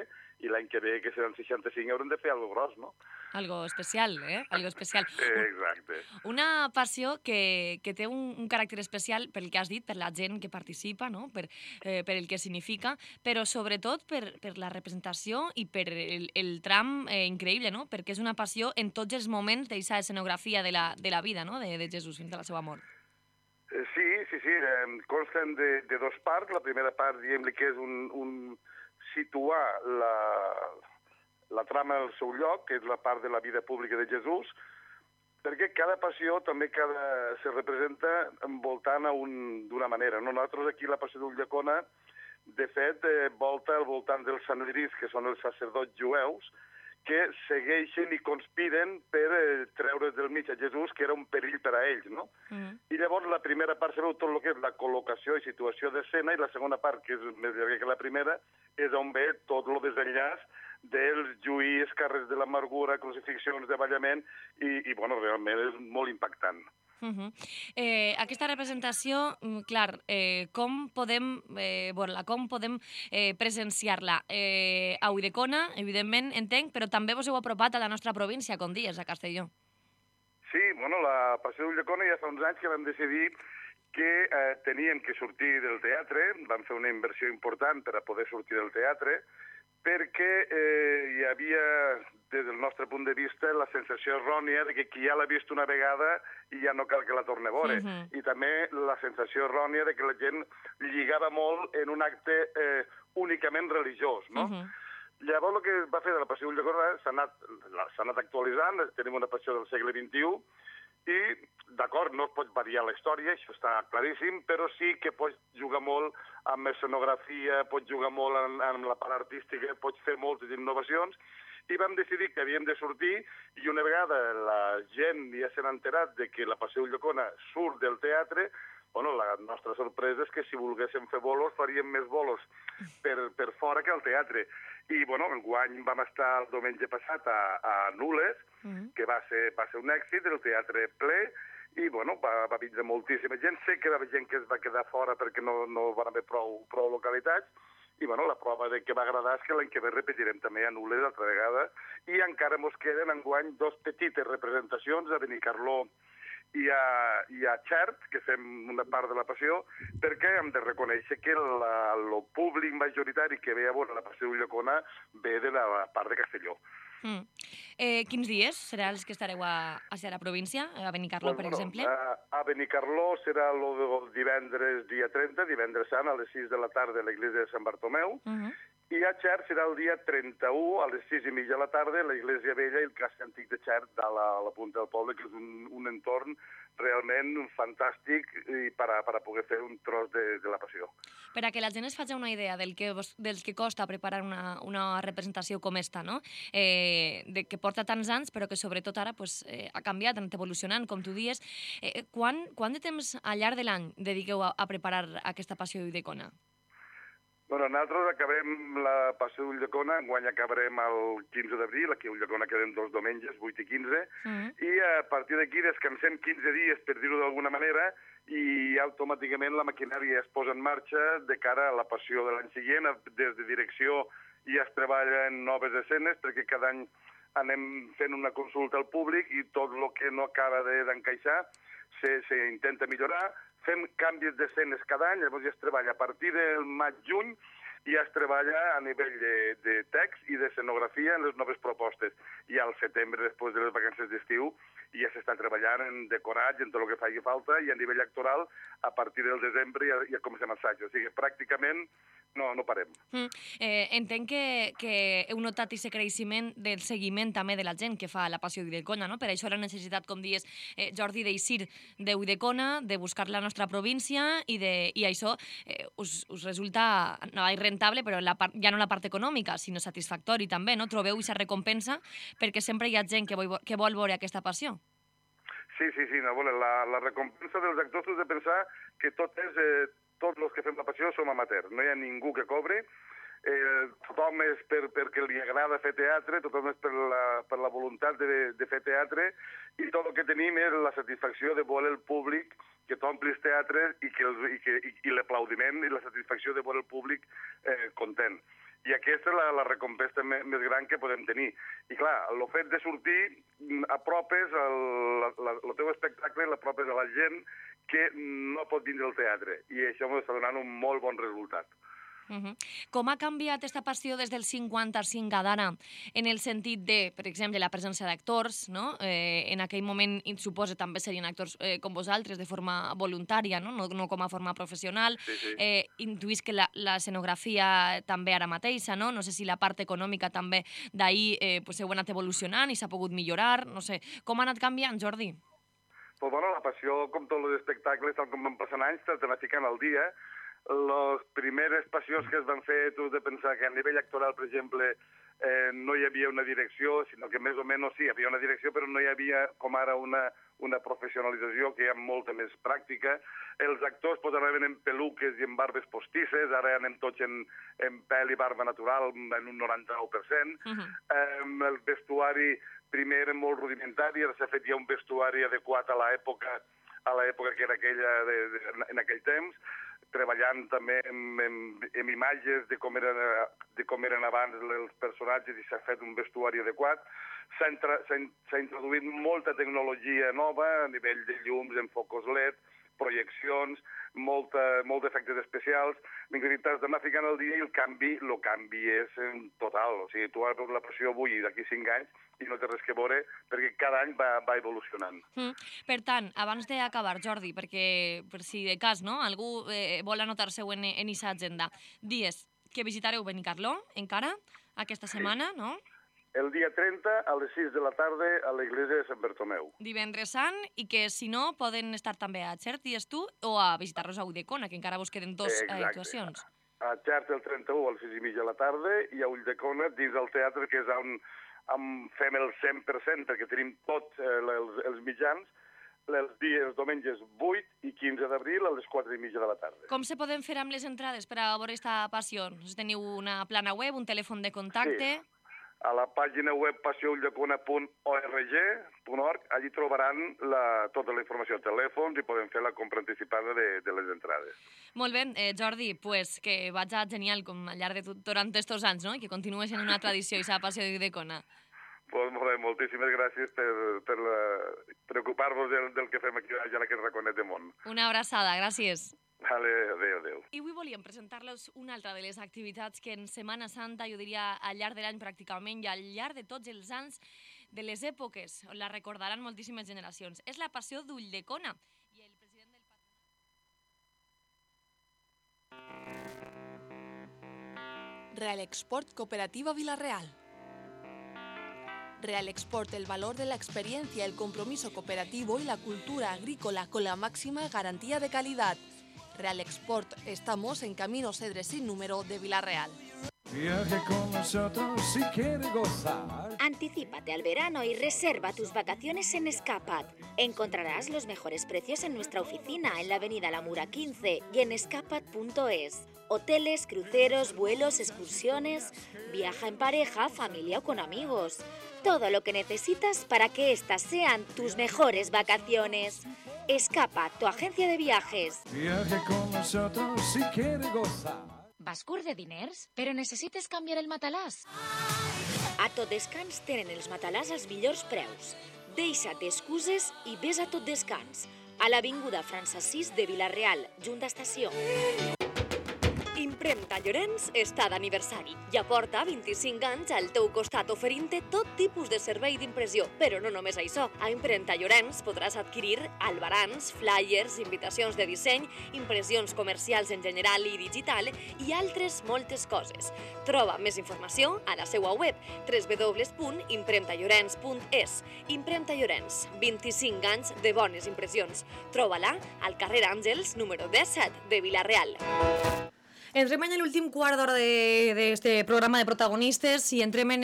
i l'any que ve, que seran 65, haurem de fer alguna cosa gros, no? Algo especial, Algo especial. Exacte. Una passió que té un caràcter especial pel que has dit, per la gent que participa, no?, per el que significa, però sobretot per la representació i per el tram increïble, no?, perquè és una passió en tots els moments d'aquesta escenografia de la vida, no?, de Jesús fins a la seva mort. Sí, consten de 2 parts. La primera part, diguem-li que és situar la trama al seu lloc, que és la part de la vida pública de Jesús, perquè cada passió també se representa envoltant d'una manera. Nosaltres aquí la Passió d'Ulldecona, de fet, volta al voltant dels sanedrins, que són els sacerdots jueus, que segueixen i conspiren per treure del mig a Jesús, que era un perill per a ells, no? I llavors la primera part se veu tot el que és la col·locació i situació d'escena, i la segona part, que és més llarga que la primera, és on ve tot el desenllaç dels juís, carrers de l'amargura, crucifixions, davallament, i bueno, realment és molt impactant. Aquesta representació, clar, com podem veure-la, com podem presenciar-la? A Ulldecona, evidentment, entenc, però també vos heu apropat a la nostra província, com dies, a Castelló. Sí, bueno, la Passió d'Ulldecona ja fa uns anys que vam decidir que teníem que sortir del teatre, vam fer una inversió important per a poder sortir del teatre, perquè hi havia, des del nostre punt de vista, la sensació errònia de que qui ja l'ha vist una vegada i ja no cal que la torni a veure. I també la sensació errònia de que la gent lligava molt en un acte únicament religiós, no? Llavors, el que va fer de la Passió d'Ulldecona s'ha anat actualitzant, tenim una passió del segle XXI, i, d'acord, no es pot variar la història, això està claríssim, però sí que pots jugar molt amb escenografia, pots jugar molt amb la part artística, pots fer moltes innovacions, i vam decidir que havíem de sortir, i una vegada la gent ja s'ha enterat de que la Passió d'Ulldecona surt del teatre, bueno, la nostra sorpresa és que si volguéssim fer bolos faríem més bolos per fora que al teatre. I, bueno, enguany vam estar el diumenge passat a Nules, que va ser un èxit, el teatre ple, i, bueno, va vindre moltíssima gent. Sé que va haver gent que es va quedar fora perquè no van haver prou localitats, i, bueno, la prova de que va agradar és que l'any que ve repetirem també a Nules altra vegada, i encara mos queden enguany 2 petites representacions a Benicarló i a Xert, que fem una part de la Passió, perquè hem de reconèixer que el públic majoritari que ve a veure la Passió d'Ulldecona ve de la part de Castelló. Quins dies serà els que estareu a la província, a Benicarló, per exemple? A Benicarló serà el divendres dia 30, divendres sant, a les 6 de la tarda a l'església de Sant Bartomeu, i a Xert serà el dia 31, a les 6:30 de la tarda, a l'església vella i el casc antic de Xert, a la punta del poble, que és un entorn realment fantàstic per a poder fer un tros de la Passió. Per a que la gent es faci una idea del que costa preparar una representació com esta, no? Que porta tants anys, però que sobretot ara ha canviat, ha anat evolucionant, com tu dius. Quant de temps al llarg de l'any dediqueu a preparar aquesta Passió d'Ulldecona? Bueno, nosaltres acabem la Passió d'Ulldecona, enguany acabarem el 15 d'abril, aquí a Ulldecona queden 2 diumenges, 8 i 15, i a partir d'aquí descansem 15 dies, per dir-ho d'alguna manera, i automàticament la maquinària es posa en marxa de cara a la Passió de l'any següent. Des de direcció ja es treballa en noves escenes, perquè cada any anem fent una consulta al públic i tot el que no acaba d'encaixar s'intenta millorar. Fem canvis d'escenes cada any, llavors ja es treballa a partir del maig-juny, ja es treballa a nivell de text i d'escenografia en les noves propostes. I al setembre, després de les vacances d'estiu, ja s'està treballant en decorats, en tot el que faci falta, i a nivell actoral, a partir del desembre ja comencem assaig. O sigui, pràcticament no parem. Entenc que heu notat aquest creixement del seguiment també de la gent que fa la Passió d'Ulldecona, no? Per això la necessitat, com dius, Jordi, d'eixir d'Ulldecona, de buscar la nostra província, i això us resulta, no és rentable, però ja no la part econòmica, sinó satisfactori també, no? Trobeu aquesta recompensa perquè sempre hi ha gent que vol veure aquesta passió. Sí, la recompensa dels actors és de pensar que tots els que fem la Passió som amateurs, no hi ha ningú que cobre, tothom és perquè li agrada fer teatre, tothom és per la voluntat de fer teatre, i tot el que tenim és la satisfacció de veure el públic que t'ompli els teatres i l'aplaudiment i la satisfacció de veure el públic content. I aquesta és la recompensa més gran que podem tenir. I clar, el fet de sortir, apropes el teu espectacle, l'apropes a la gent que no pot vindre al teatre. I això m'està donant un molt bon resultat. Com ha canviat aquesta passió des del 55 a d'ara, en el sentit de, per exemple, la presència d'actors, no? En aquell moment, suposo, també serien actors com vosaltres, de forma voluntària, no com a forma professional. Intuïs que l'escenografia també ara mateixa, no? No sé si la part econòmica també d'ahir heu anat evolucionant i s'ha pogut millorar, no sé. Com ha anat canviant, Jordi? Pues bueno, la passió, com tots els espectacles, tal com van passant anys, t'han ficant al dia. Les primeres passions que es van fer, tu has de pensar que a nivell actoral, per exemple, no hi havia una direcció, sinó que més o menys sí, hi havia una direcció, però no hi havia, com ara, una professionalització, que hi ha molta més pràctica. Els actors anaven en peluques i en barbes postisses, ara anem tots en pèl i barba natural, en un 99%. El vestuari primer era molt rudimentari, ara s'ha fet ja un vestuari adequat a l'època que era aquella en aquell temps, treballant també en imatges de com eren abans els personatges i s'ha fet un vestuari adequat. S'ha introduït molta tecnologia nova a nivell de llums, enfocos LED, projeccions, molts efectes especials. T'has d'anar ficant al dia i el canvi és total. O sigui, tu has veure la passió avui d'aquí 5 anys i no té res que veure perquè cada any va evolucionant. Per tant, abans d'acabar, Jordi, perquè per si de cas algú vol anotar-se-ho en aquesta agenda, dies que visitareu Benicarló encara aquesta setmana, no? El dia 30 a les 6 de la tarda a l'església de Sant Bartomeu. Divendres sant, i que si no poden estar també a Xert, dies tu, o a visitar-los a Ulldecona, que encara vos queden 2 actuacions. A Xert el 31 a les 6:30 de la tarda i a Ulldecona dins del teatre, que és on fem el 100%, perquè tenim tots els mitjans, els diumenges 8 i 15 d'abril a les 4:30 de la tarda. Com se poden fer amb les entrades per a veure aquesta passió? Teniu una plana web, un telèfon de contacte? Sí. A la pàgina web passeullacona.org, allí trobaran tota la informació, telèfons, i poden fer la compra anticipada de les entrades. Molt bé, Jordi, pues que vaig genial com al llarg de durant estos anys, no? I que continuï sent una tradició i la passió d'Icona. Pues molt bé, moltíssimes gràcies per preocupar-vos del que fem aquí a aquest raconet de món. Una abraçada, gràcies. Vale, adéu. I avui volíem presentar-los una altra de les activitats que en Setmana Santa, jo diria al llarg de l'any pràcticament i al llarg de tots els anys de les èpoques, on la recordaran moltíssimes generacions. És la passió d'Ulldecona. I el president del Real Export Cooperativa Villarreal. Real Export, el valor de la experiencia, el compromiso cooperativo y la cultura agrícola con la máxima garantía de calidad. Real Export, estamos en Camino Cedres sin número de Villarreal. Viaje con nosotros si quiere gozar. Anticípate al verano y reserva tus vacaciones en Escapat. Encontrarás los mejores precios en nuestra oficina en la avenida La Mura 15 y en escapat.es. Hoteles, cruceros, vuelos, excursiones. Viaja en pareja, familia o con amigos. Todo lo que necesitas para que estas sean tus mejores vacaciones. Escapat, tu agencia de viajes. Viaje con nosotros si quiere gozar. Vas curt de diners? Però necessites canviar el matalàs? A Tot Descans tenen els matalàs als millors preus. Deixa't d'excuses i ves a Tot Descans, a l'avinguda Francesís de Vila-real, junt a estació. Impremta Llorenç està d'aniversari. Ja porta 25 anys al teu costat oferint-te tot tipus de servei d'impressió. Però no només això. A Impremta Llorenç podràs adquirir albarans, flyers, invitacions de disseny, impressions comercials en general i digital i altres moltes coses. Troba més informació a la seva web www.impremtallorens.es. Impremta Llorenç, 25 anys de bones impressions. Troba-la al carrer Àngels, número 17 de Vila-real. Entrem en l'últim quart d'hora d'este programa de protagonistes i entrem en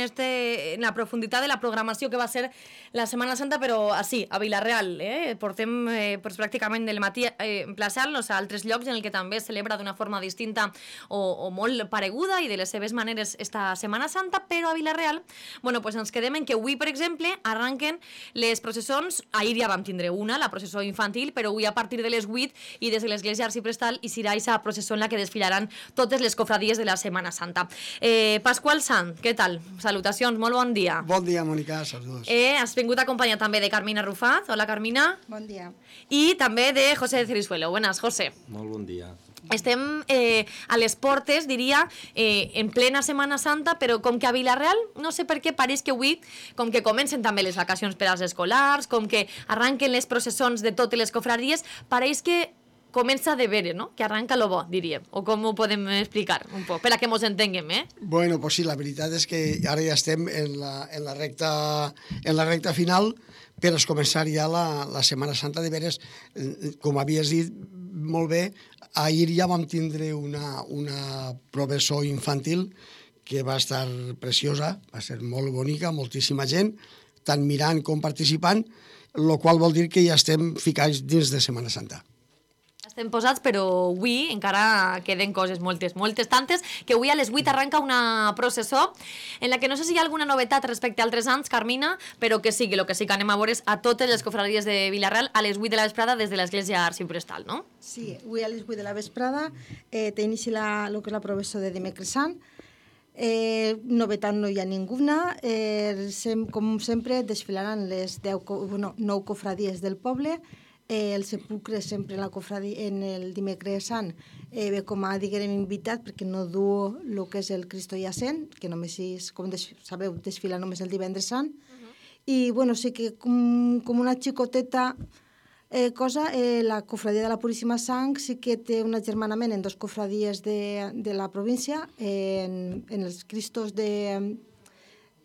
la profunditat de la programació que va ser la Setmana Santa, però així, a Vila-real. Portem pràcticament del matí emplaçant-nos a altres llocs en el que també es celebra d'una forma distinta o molt pareguda i de les seves maneres esta Setmana Santa, però a Vila-real ens quedem en que avui, per exemple, arranquen les processons. Ahir ja vam tindre una, la processó infantil, però avui a partir de les 8 i des de l'església arxiprestal hi serà aquesta processó en la que desfilaran totes les cofradies de la Setmana Santa. Pasqual Sant, què tal? Salutacions, molt bon dia. Bon dia, Mònica, saludos. Has vingut acompanyat també de Carmina Rufat. Hola, Carmina. Bon dia. I també de José Cirizuelo. Buenas, José. Molt bon dia. Estem a les portes, diria, en plena Setmana Santa, però com que a Vila-real, no sé per què, pareix que avui, com que comencen també les vacacions per als escolars, com que arranquen les processons de totes les cofradies, pareix que comença de veure, no? Que arranca lo bo, diríem. O com ho podem explicar un poc, per a que mos entenguem, Bueno, pues sí, la veritat és que ara ja estem en la recta final per a començar ja la Setmana Santa de veres. Com havies dit molt bé, ahir ja vam tindre una processó infantil que va estar preciosa, va ser molt bonica, moltíssima gent, tant mirant com participant, el qual vol dir que ja estem ficats dins de Setmana Santa. Estem posats, però avui encara queden coses moltes tantes, que avui a les 8 arranca una processó en la que no sé si hi ha alguna novetat respecte a altres anys, Carmina, però que sí, que el que sí que anem a veure és a totes les cofradies de Vila-real a les 8 de la vesprada des de l'església arxiprestal, no? Sí, avui a les 8 de la vesprada té inici el que és la processó de dimecres sant. Novetat no hi ha ninguna. Com sempre desfilaran les 9 cofradies del poble. El sepulcre sempre en el dimecres sant ve com a, diguem, invitat perquè no du el que és el Cristo Jacent, que només, com sabeu, desfila només el divendres sant. I, sí que com una xicoteta cosa, la cofradia de la Puríssima Sang sí que té un agermanament en 2 cofradies de la província, en els Cristos de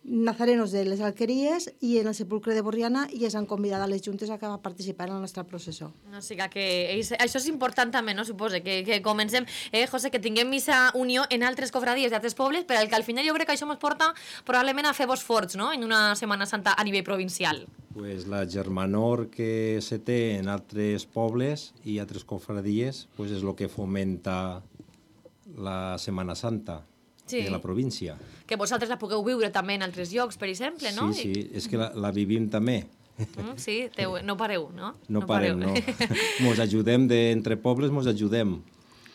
nazarenos de les Alqueries i en el sepulcre de Borriana, i es han convidat a les juntes a participar en la nostra processó. O sigui que això és important també, no? Suposo que comencem, José, que tinguem missa unió en altres cofradies d'altres pobles, però que al final jo crec que això ens porta probablement a fer-vos forts, no?, en una Setmana Santa a nivell provincial. Pues la germanor que se té en altres pobles i altres cofradies pues és el que fomenta la Setmana Santa de la província. Que vosaltres la pugueu viure també en altres llocs, per exemple, no? Sí, és que la vivim també. Sí, no pareu, no? No parem, no. Mos ajudem entre pobles, mos ajudem.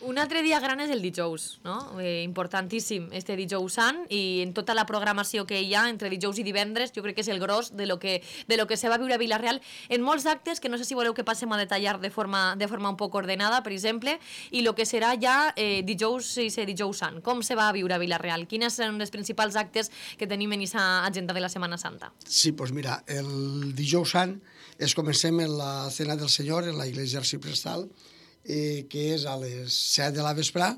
Un altre dia gran és el dijous, no? Importantíssim, este dijous sant, i en tota la programació que hi ha entre dijous i divendres, jo crec que és el gros de lo que se va viure a Vila-real en molts actes, que no sé si voleu que passem a detallar de forma un poc ordenada, per exemple, i el que serà ja dijous i dijous sant. Com se va viure a Vila-real? Quines són els principals actes que tenim en aquesta agenda de la Setmana Santa? Sí, doncs mira, el dijous sant comencem en la Cena del Senyor, en la Iglesia Arciprestal, que és a les 7 de la vesprà.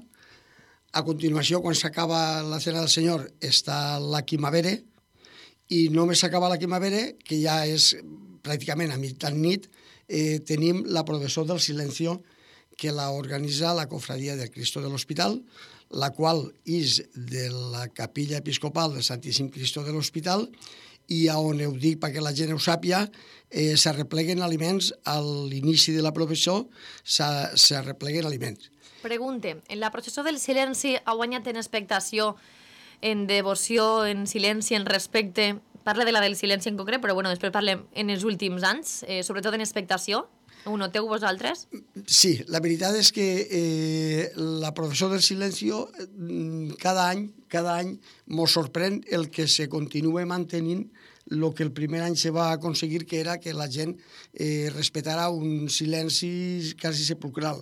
A continuació, quan s'acaba la Cena del Senyor, està la Quimavere, i només s'acaba la Quimavere, que ja és pràcticament a mitjanit, tenim la Processó del Silencio, que la organitza la Cofradia del Cristo de l'Hospital, la qual és de la Capilla Episcopal del Santíssim Cristo de l'Hospital, i on ho dic perquè la gent ho sàpia, s'arrepleguen aliments a l'inici de la processó, s'arrepleguen aliments. Pregunte, en la processó del silenci ha guanyat en expectació, en devoció, en silenci, en respecte? Parla de la del silenci en concret, però bueno, després parlem en els últims anys, sobretot en expectació. Ho noteu vosaltres? Sí, la veritat és que la processó del silencio cada any mos sorprèn el que se continua mantenint el que el primer any se va aconseguir, que era que la gent respetara un silenci quasi sepulcral.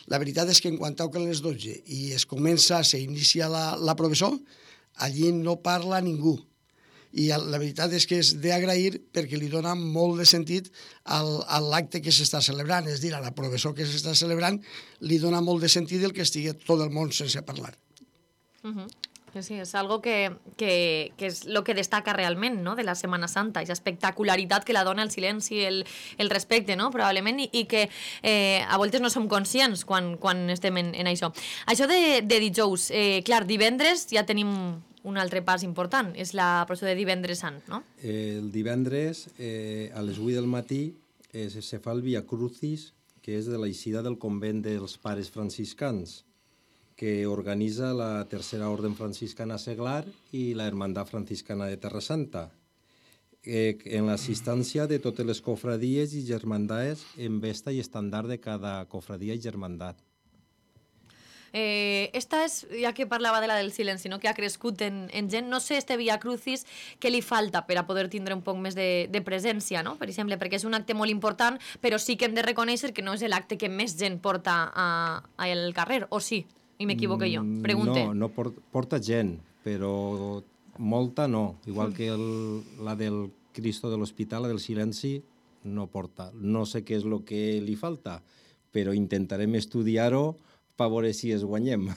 La veritat és que en quan toquen les 12 i s'inicia la processó, allí no parla ningú. I la veritat és que és d'agrair perquè li dona molt de sentit a l'acte que s'està celebrant, és a dir, a la processó que s'està celebrant li dona molt de sentit el que estigui tot el món sense parlar. Sí, és algo que és el que destaca realment, no?, de la Setmana Santa, aquesta espectacularitat que la dona el silenci, el respecte, no?, probablement, i que a voltes no som conscients quan estem en això. Això de dijous, clar, divendres ja tenim un altre pas important, és la processó de divendres sant, no? El divendres, a les 8 del matí, se fa el Via Crucis, que és de l'eixida del convent dels Pares Franciscans, que organitza la Tercera Orden Franciscana Seglar i la Hermandad Franciscana de Terra Santa, en l'assistència de totes les cofradies i germandades en vesta i estandard de cada cofradia i germandat. Esta és, ja que parlava de la del silenci, no?, que ha crescut en gent, no sé, este Via Crucis, què li falta per a poder tindre un poc més de presència, no?, per exemple, perquè és un acte molt important, però sí que hem de reconèixer que no és l'acte que més gent porta al carrer, o sí? I m'equivoco jo? Pregunte. No porta gent, però molta no. Igual que la del Cristo de l'Hospital, la del silenci, no porta. No sé què és el que li falta, però intentarem estudiar-ho per veure si es guanyem.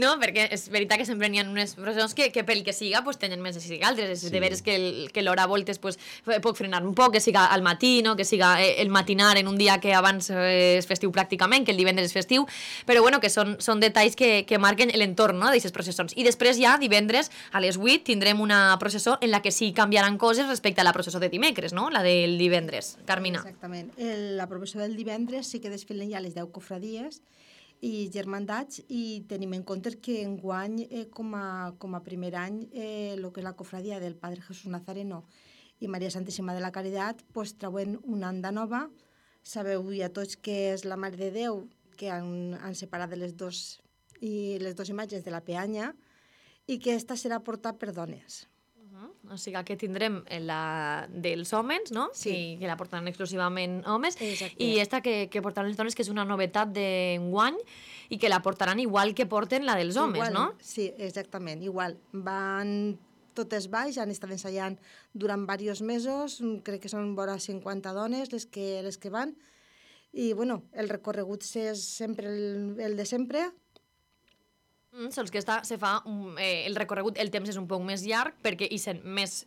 No, perquè és veritat que sempre n'hi ha unes processons que pel que siga tenen més èxit que altres. És de veres que l'hora a voltes pot frenar un poc, que siga al matí, que siga el matinar en un dia que abans és festiu pràcticament, que el divendres és festiu, però bueno, que són detalls que marquen l'entorn d'aquestes processons. I després ja, divendres, a les 8, tindrem una processó en la que sí canviaran coses respecte a la processó de dimecres, no?, la del divendres. Carmina. Exactament. La processó del divendres sí que desfilen ja les 10 cofradies i germandats, i tenim en compte que enguany, com a primer any, el que és la cofradia del Padre Jesús Nazareno i Maria Santíssima de la Caritat trauen una anda nova. Sabeu ja tots que és la Mare de Déu, que han separat les dues imatges de la peanya, i que esta serà portada per dones. O sigui que tindrem la dels homes, no? Sí. Que la portaran exclusivament homes. Exacte. I esta que portaran les dones, que és una novetat d'enguany, i que la portaran igual que porten la dels homes, no? Sí, exactament, igual. Van totes baix, han estat ensaiant durant diversos mesos, crec que són vora 50 dones les que van, i bueno, el recorregut és sempre el de sempre. Sols que se fa el recorregut, el temps és un poc més llarg perquè hi són més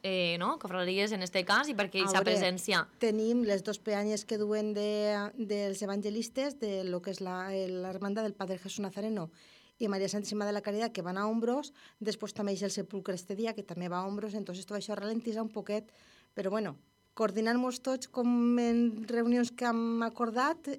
cofradies en aquest cas i perquè hi ha presència. Tenim les dues peanyes que duen dels evangelistes de lo que és l'hermandad del Padre Jesús Nazareno i Maria Santíssima de la Caritat, que van a hombros. Després també hi ha el sepulcre este dia, que també va a hombros. Entonces tot això ralentitza un poquet Però bueno, coordinant-nos tots com en reunions que hem acordat,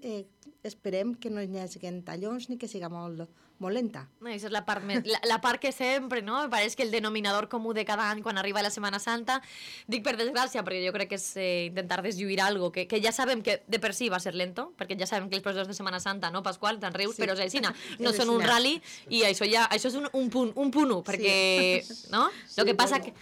esperem que no hi hagi tallons ni que siga molt lenta. Això és la part que sempre, no? Pareix que el denominador comú de cada any quan arriba la Setmana Santa, dic per desgràcia, perquè jo crec que és intentar deslluir algo que ja sabem que de per si va ser lento, perquè ja sabem que els professors de Setmana Santa, no, Pasqual, te'n rius, però és així, no són un rally, i això és un punt 1, perquè, no? El que passa que...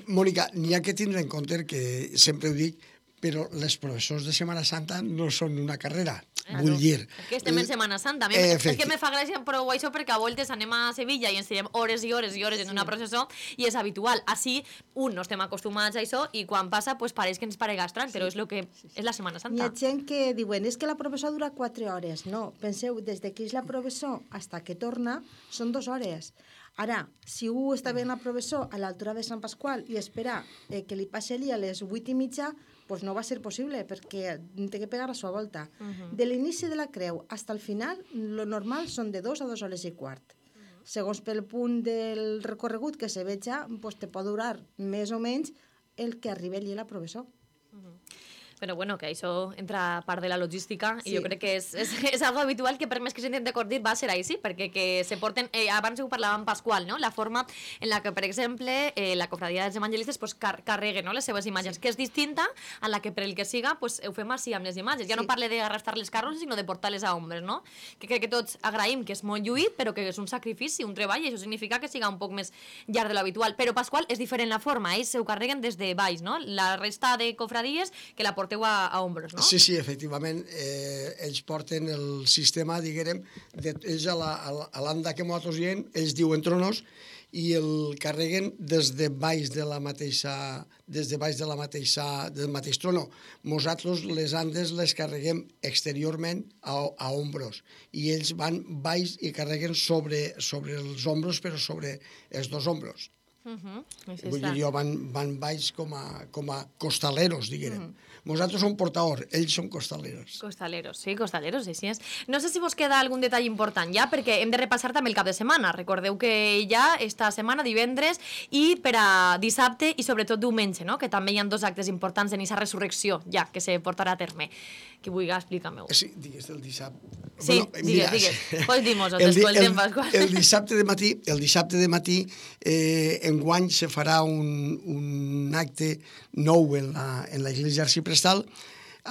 Mònica, n'hi ha que tindre en compte que sempre ho dic, però els professors de Setmana Santa no són una carrera, vull dir. És que estem en Setmana Santa. És que me fa gràcia prou això perquè a voltes anem a Sevilla i ens tirem hores i hores i hores en una processó i és habitual. Així, no estem acostumats a això i quan passa, pues pareix que ens parega estrany, però és el que és la Setmana Santa. Hi ha gent que diuen, és que la professó dura 4 hores. No, penseu, des que és la professó fins que torna, són 2 hores. Ara, si un està bé en la professó a l'altura de Sant Pasqual i espera que li passi allí a les 8:30, doncs no va ser possible, perquè té que pegar la seva volta. De l'inici de la creu fins al final, lo normal són de 2 a 2 hores i quart. Segons pel punt del recorregut que se veja, te pot durar més o menys el que arribi allí a la professó. Però bueno, que això entra part de la logística i jo crec que és algo habitual que per més que s'intenti coordinar va ser així, perquè que se porten, abans ho parlàvem Pasqual, no? La forma en la que, per exemple, la cofradia dels evangelistes carreguen les seves imatges, que és distinta a la que per el que siga ho fem així amb les imatges. Ja no parle d'arrastrar les carros, sinó de portar-les a ombres, no? Que crec que tots agraïm que és molt lluït, però que és un sacrifici, un treball, i això significa que siga un poc més llarg de l'habitual. Però Pasqual és diferent la forma, ells ho carreguen des de baix, no? La resta de cofradies que la porteu a ombres, no? Sí, efectivament, ells porten el sistema, diguem, ells a l'anda que nosaltres diem, ells diuen tronos, i el carreguen des de baix del mateix trono. Nosaltres les andes les carreguem exteriorment a ombros, i ells van baix i carreguen sobre els ombros, però sobre els 2 ombros. Vull dir, van baix com a costaleros, diguem. Nosaltres som portadors, ells són costaleros. Costaleros, així és. No sé si vos queda algun detall important ja, perquè hem de repassar també el cap de setmana. Recordeu que ja esta setmana, divendres, i per a dissabte i sobretot diumenge, no? Que també hi ha 2 actes importants en aquesta resurrecció, ja, que se portarà a terme. Qui vulgui, explica-m'ho. Sí, digues el dissabte. Sí, digues. Pues dimos-ho, t'escoltem, Pasqual. El dissabte de matí, enguany se farà un acte nou en la Iglesia Arciprestal,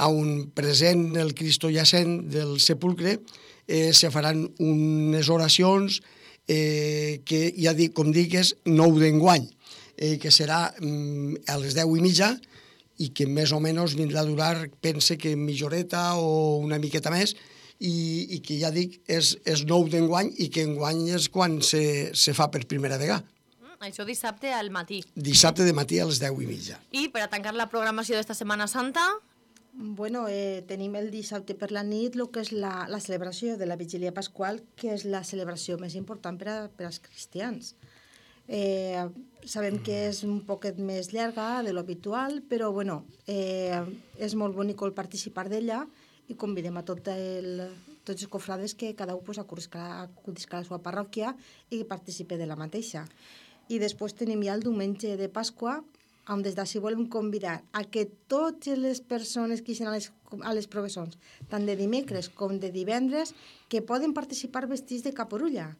on present el Cristo Jacent del sepulcre, se faran unes oracions que, ja dic, com dic, és nou d'enguany, que serà a les 10:30, i que més o menys vindrà a durar, pense que mitja horeta o una miqueta més, i que ja dic, és nou d'enguany, i que enguany és quan se fa per primera vegada. Això dissabte al matí. Dissabte de matí a les 10:30. I per a tancar la programació d'esta Setmana Santa... Bueno, tenim el dissabte per la nit el que és la celebració de la Vigília Pasqual, que és la celebració més important per als cristians. Sabem que és un poquet més llarga de l'habitual, però bueno, és molt bonic el participar d'ella i convidem a tots els cofrades que cada un acudisca a la seva parròquia i participe de la mateixa. I després tenim ja el diumenge de Pasqua, on des d'ací volem convidar a que totes les persones que ixen a les professons, tant de dimecres com de divendres, que poden participar vestits de caporulla,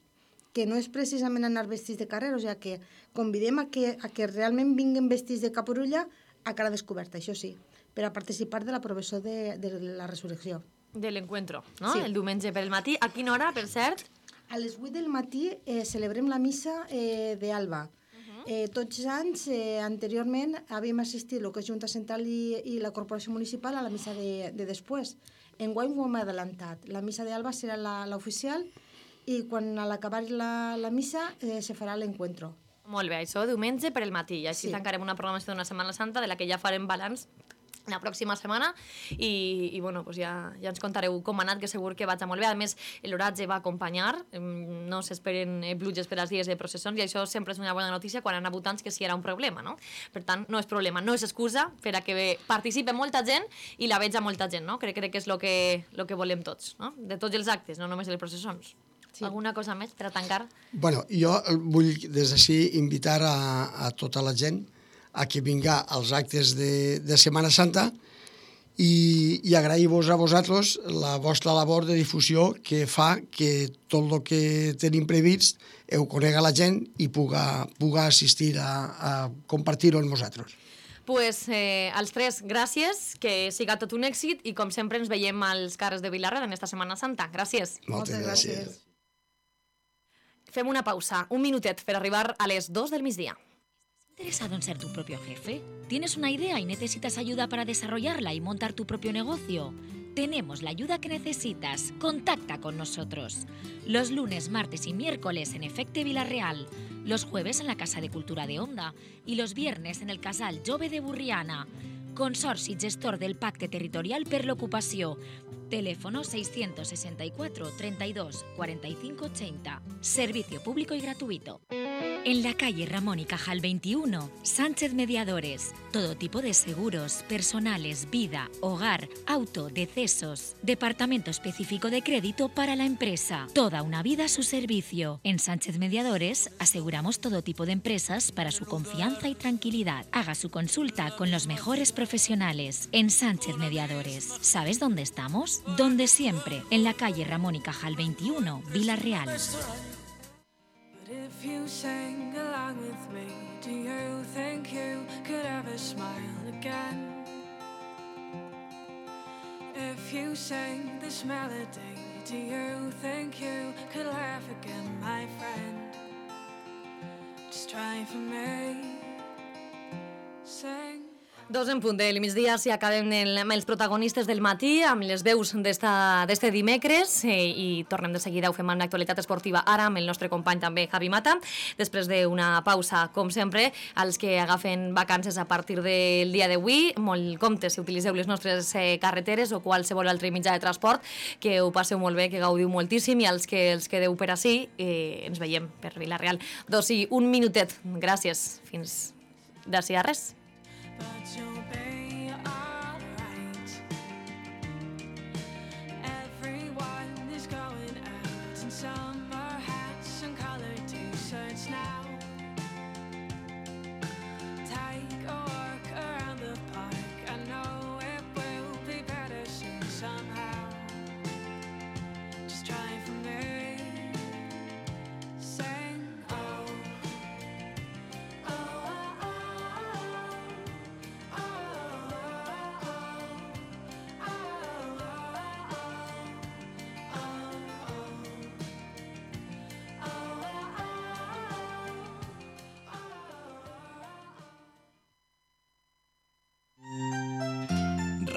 que no és precisament anar vestits de carrer, o sigui que convidem a que realment vinguen vestits de caporulla a cara descoberta, això sí, per a participar de la professó de la resurrecció. De l'encuentro, no? Sí. El diumenge per el matí. A quina hora, per cert? A les 8 del matí celebrem la missa d'Alba. Tots els anys, anteriorment, havíem assistit el que és Junta Central i la Corporació Municipal a la missa de després. Enguany ho hem adelantat. La missa d'Alba serà l'oficial i quan a l'acabar la missa se farà l'encuentro. Molt bé, això diumenge per el matí. I així tancarem una programació d'una Setmana Santa de la que ja farem balanç la pròxima setmana i bueno, pues ja ens contareu com ha anat, que segur que vaig molt bé. A més, l'oratge va acompanyar, no s'esperen pluges per als dies de processons i això sempre és una bona notícia quan hi ha votants que sí era un problema, no? Per tant, no és problema, no és excusa per a que participi molta gent i la veig a molta gent, no? Crec que és el que volem tots, no? De tots els actes, no només de les processons. Sí. Alguna cosa més per a tancar? Bueno, jo vull des d'ací invitar a tota la gent a que vinga als actes de Setmana Santa i agrair-vos a vosaltres la vostra labor de difusió que fa que tot el que tenim previst ho conega la gent i puga assistir a compartir-ho amb vosaltres. Pues als tres, gràcies, que siga tot un èxit i com sempre ens veiem als carrers de Vila-real en esta Setmana Santa. Gràcies. Moltes gràcies. Fem una pausa, un minutet per arribar a les 2 del migdia. ¿Interesado en ser tu propio jefe? ¿Tienes una idea y necesitas ayuda para desarrollarla y montar tu propio negocio? Tenemos la ayuda que necesitas. Contacta con nosotros. Los lunes, martes y miércoles en Efecte Vila-real. Los jueves en la Casa de Cultura de Onda. Y los viernes en el Casal Jove de Burriana. Consorci gestor del Pacte Territorial per l'Ocupació. Teléfono 664 32 45 80. Servicio público y gratuito. En la calle Ramón y Cajal 21, Sánchez Mediadores. Todo tipo de seguros, personales, vida, hogar, auto, decesos. Departamento específico de crédito para la empresa. Toda una vida a su servicio. En Sánchez Mediadores aseguramos todo tipo de empresas para su confianza y tranquilidad. Haga su consulta con los mejores profesionales. En Sánchez Mediadores. ¿Sabes dónde estamos? Donde siempre. En la calle Ramón y Cajal 21, Vila-real. If you sang along with me, do you think you could ever smile again? If you sang this melody, do you think you could laugh again, my friend? Just try for me, sing. 2 en punt del migdia, si acabem amb els protagonistes del matí, amb les veus d'este dimecres, i tornem de seguida, ho fem amb l'actualitat esportiva ara, amb el nostre company també, Javi Mata, després d'una pausa, com sempre, als que agafen vacances a partir del dia d'avui, molt compte si utilitzeu les nostres carreteres o qualsevol altre mitjà de transport, que ho passeu molt bé, que gaudiu moltíssim, i als que els quedeu per ací, ens veiem per Vila-real. Doncs sí, un minutet, gràcies, fins d'ací a res. But you'll be alright. Everyone is going out in summer hats and coloured t-shirts now. Take a walk around the park. I know it will be better soon somehow. Just try for me. Sing, oh, oh, oh, oh.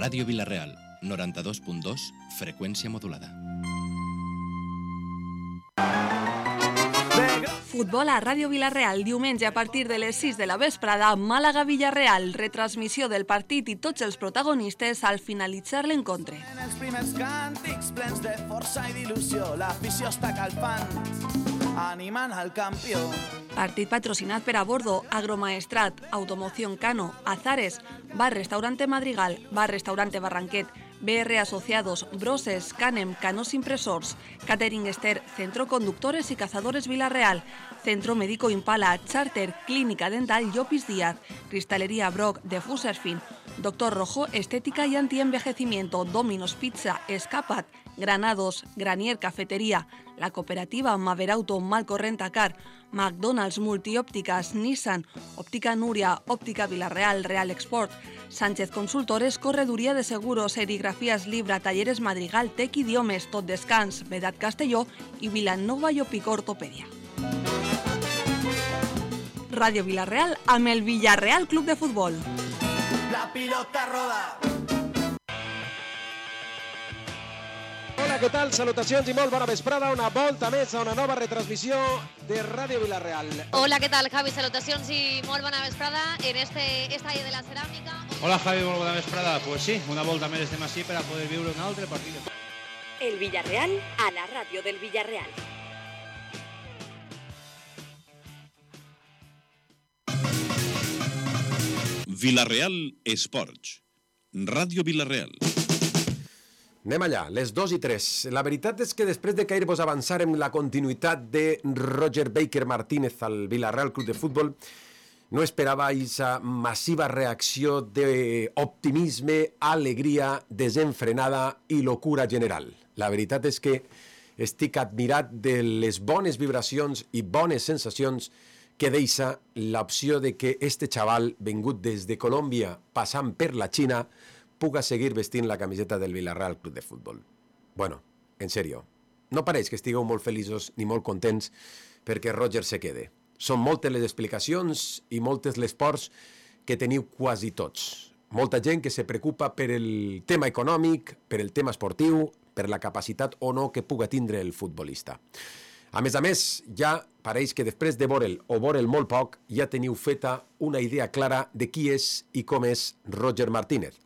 Ràdio Vila-real, 92.2, freqüència modulada. Futbol a Ràdio Vila-real, diumenge a partir de les 6 de la vesprada, Màlaga-Villarreal, retransmissió del partit i tots els protagonistes al finalitzar l'encontre. En els primers càntics plens de força i d'il·lusió, l'afició està calfant, animant al campió. Partit patrocinat per Abordo, Agromaestrat, Automoción Cano, Azares, Bar Restaurante Madrigal, Bar Restaurante Barranquet, BR Asociados, Broses, Canem, Canos Impresors, Catering Ester, Centro Conductores y Cazadores Vila-real, Centro Médico Impala, Charter, Clínica Dental Llopis Díaz, Cristalería Brock, de Fuserfin, Doctor Rojo, Estética y Antienvejecimiento, Domino's Pizza, Escapat, Granados, Granier Cafetería, la cooperativa Maverauto, Malcorrentacar, McDonald's, Multiópticas, Nissan, Óptica Núria, Óptica Vila-real, Real Export, Sánchez Consultores, Correduría de Seguros, Serigrafías Libra, Talleres Madrigal, Tec Idiomes, Tot Descans, Vedat Castelló i Vilanova i Opicó Ortopèdia. Ràdio Vila-real amb el Villarreal Club de Futbol. La pilota roda. Hola, què tal? Salutacions i molt bona vesprada. Una volta més a una nova retransmissió de Ràdio Vila-real. Hola, què tal, Javi? Salutacions i molt bona vesprada en este estadi de la ceràmica. Hola, Javi, molt bona vesprada. Pues sí, una volta més estem així per a poder viure un altre partit. El Villarreal a la ràdio del Villarreal. Vila-real Esports. Ràdio Vila-real. Anem allà, les 2 i 3. La veritat és que després de cair-vos avançarem la continuïtat de Roger Baker Martínez al Vila-real Club de Futbol, no esperava aquesta massiva reacció d'optimisme, alegria, desenfrenada i locura general. La veritat és que estic admirat de les bones vibracions i bones sensacions que deixa l'opció de que este xaval, vengut des de Colòmbia, passant per la Xina, puga seguir vestint la camiseta del Villarreal Club de Futbol. Bueno, en sèrio, no pareix que estigueu molt feliços ni molt contents perquè Roger se quede. Són moltes les explicacions i moltes les pors que teniu quasi tots. Molta gent que se preocupa per el tema econòmic, per el tema esportiu, per la capacitat o no que puga tindre el futbolista. A més, ja pareix que després de veure'l o veure'l molt poc, ja teniu feta una idea clara de qui és i com és Roger Martínez.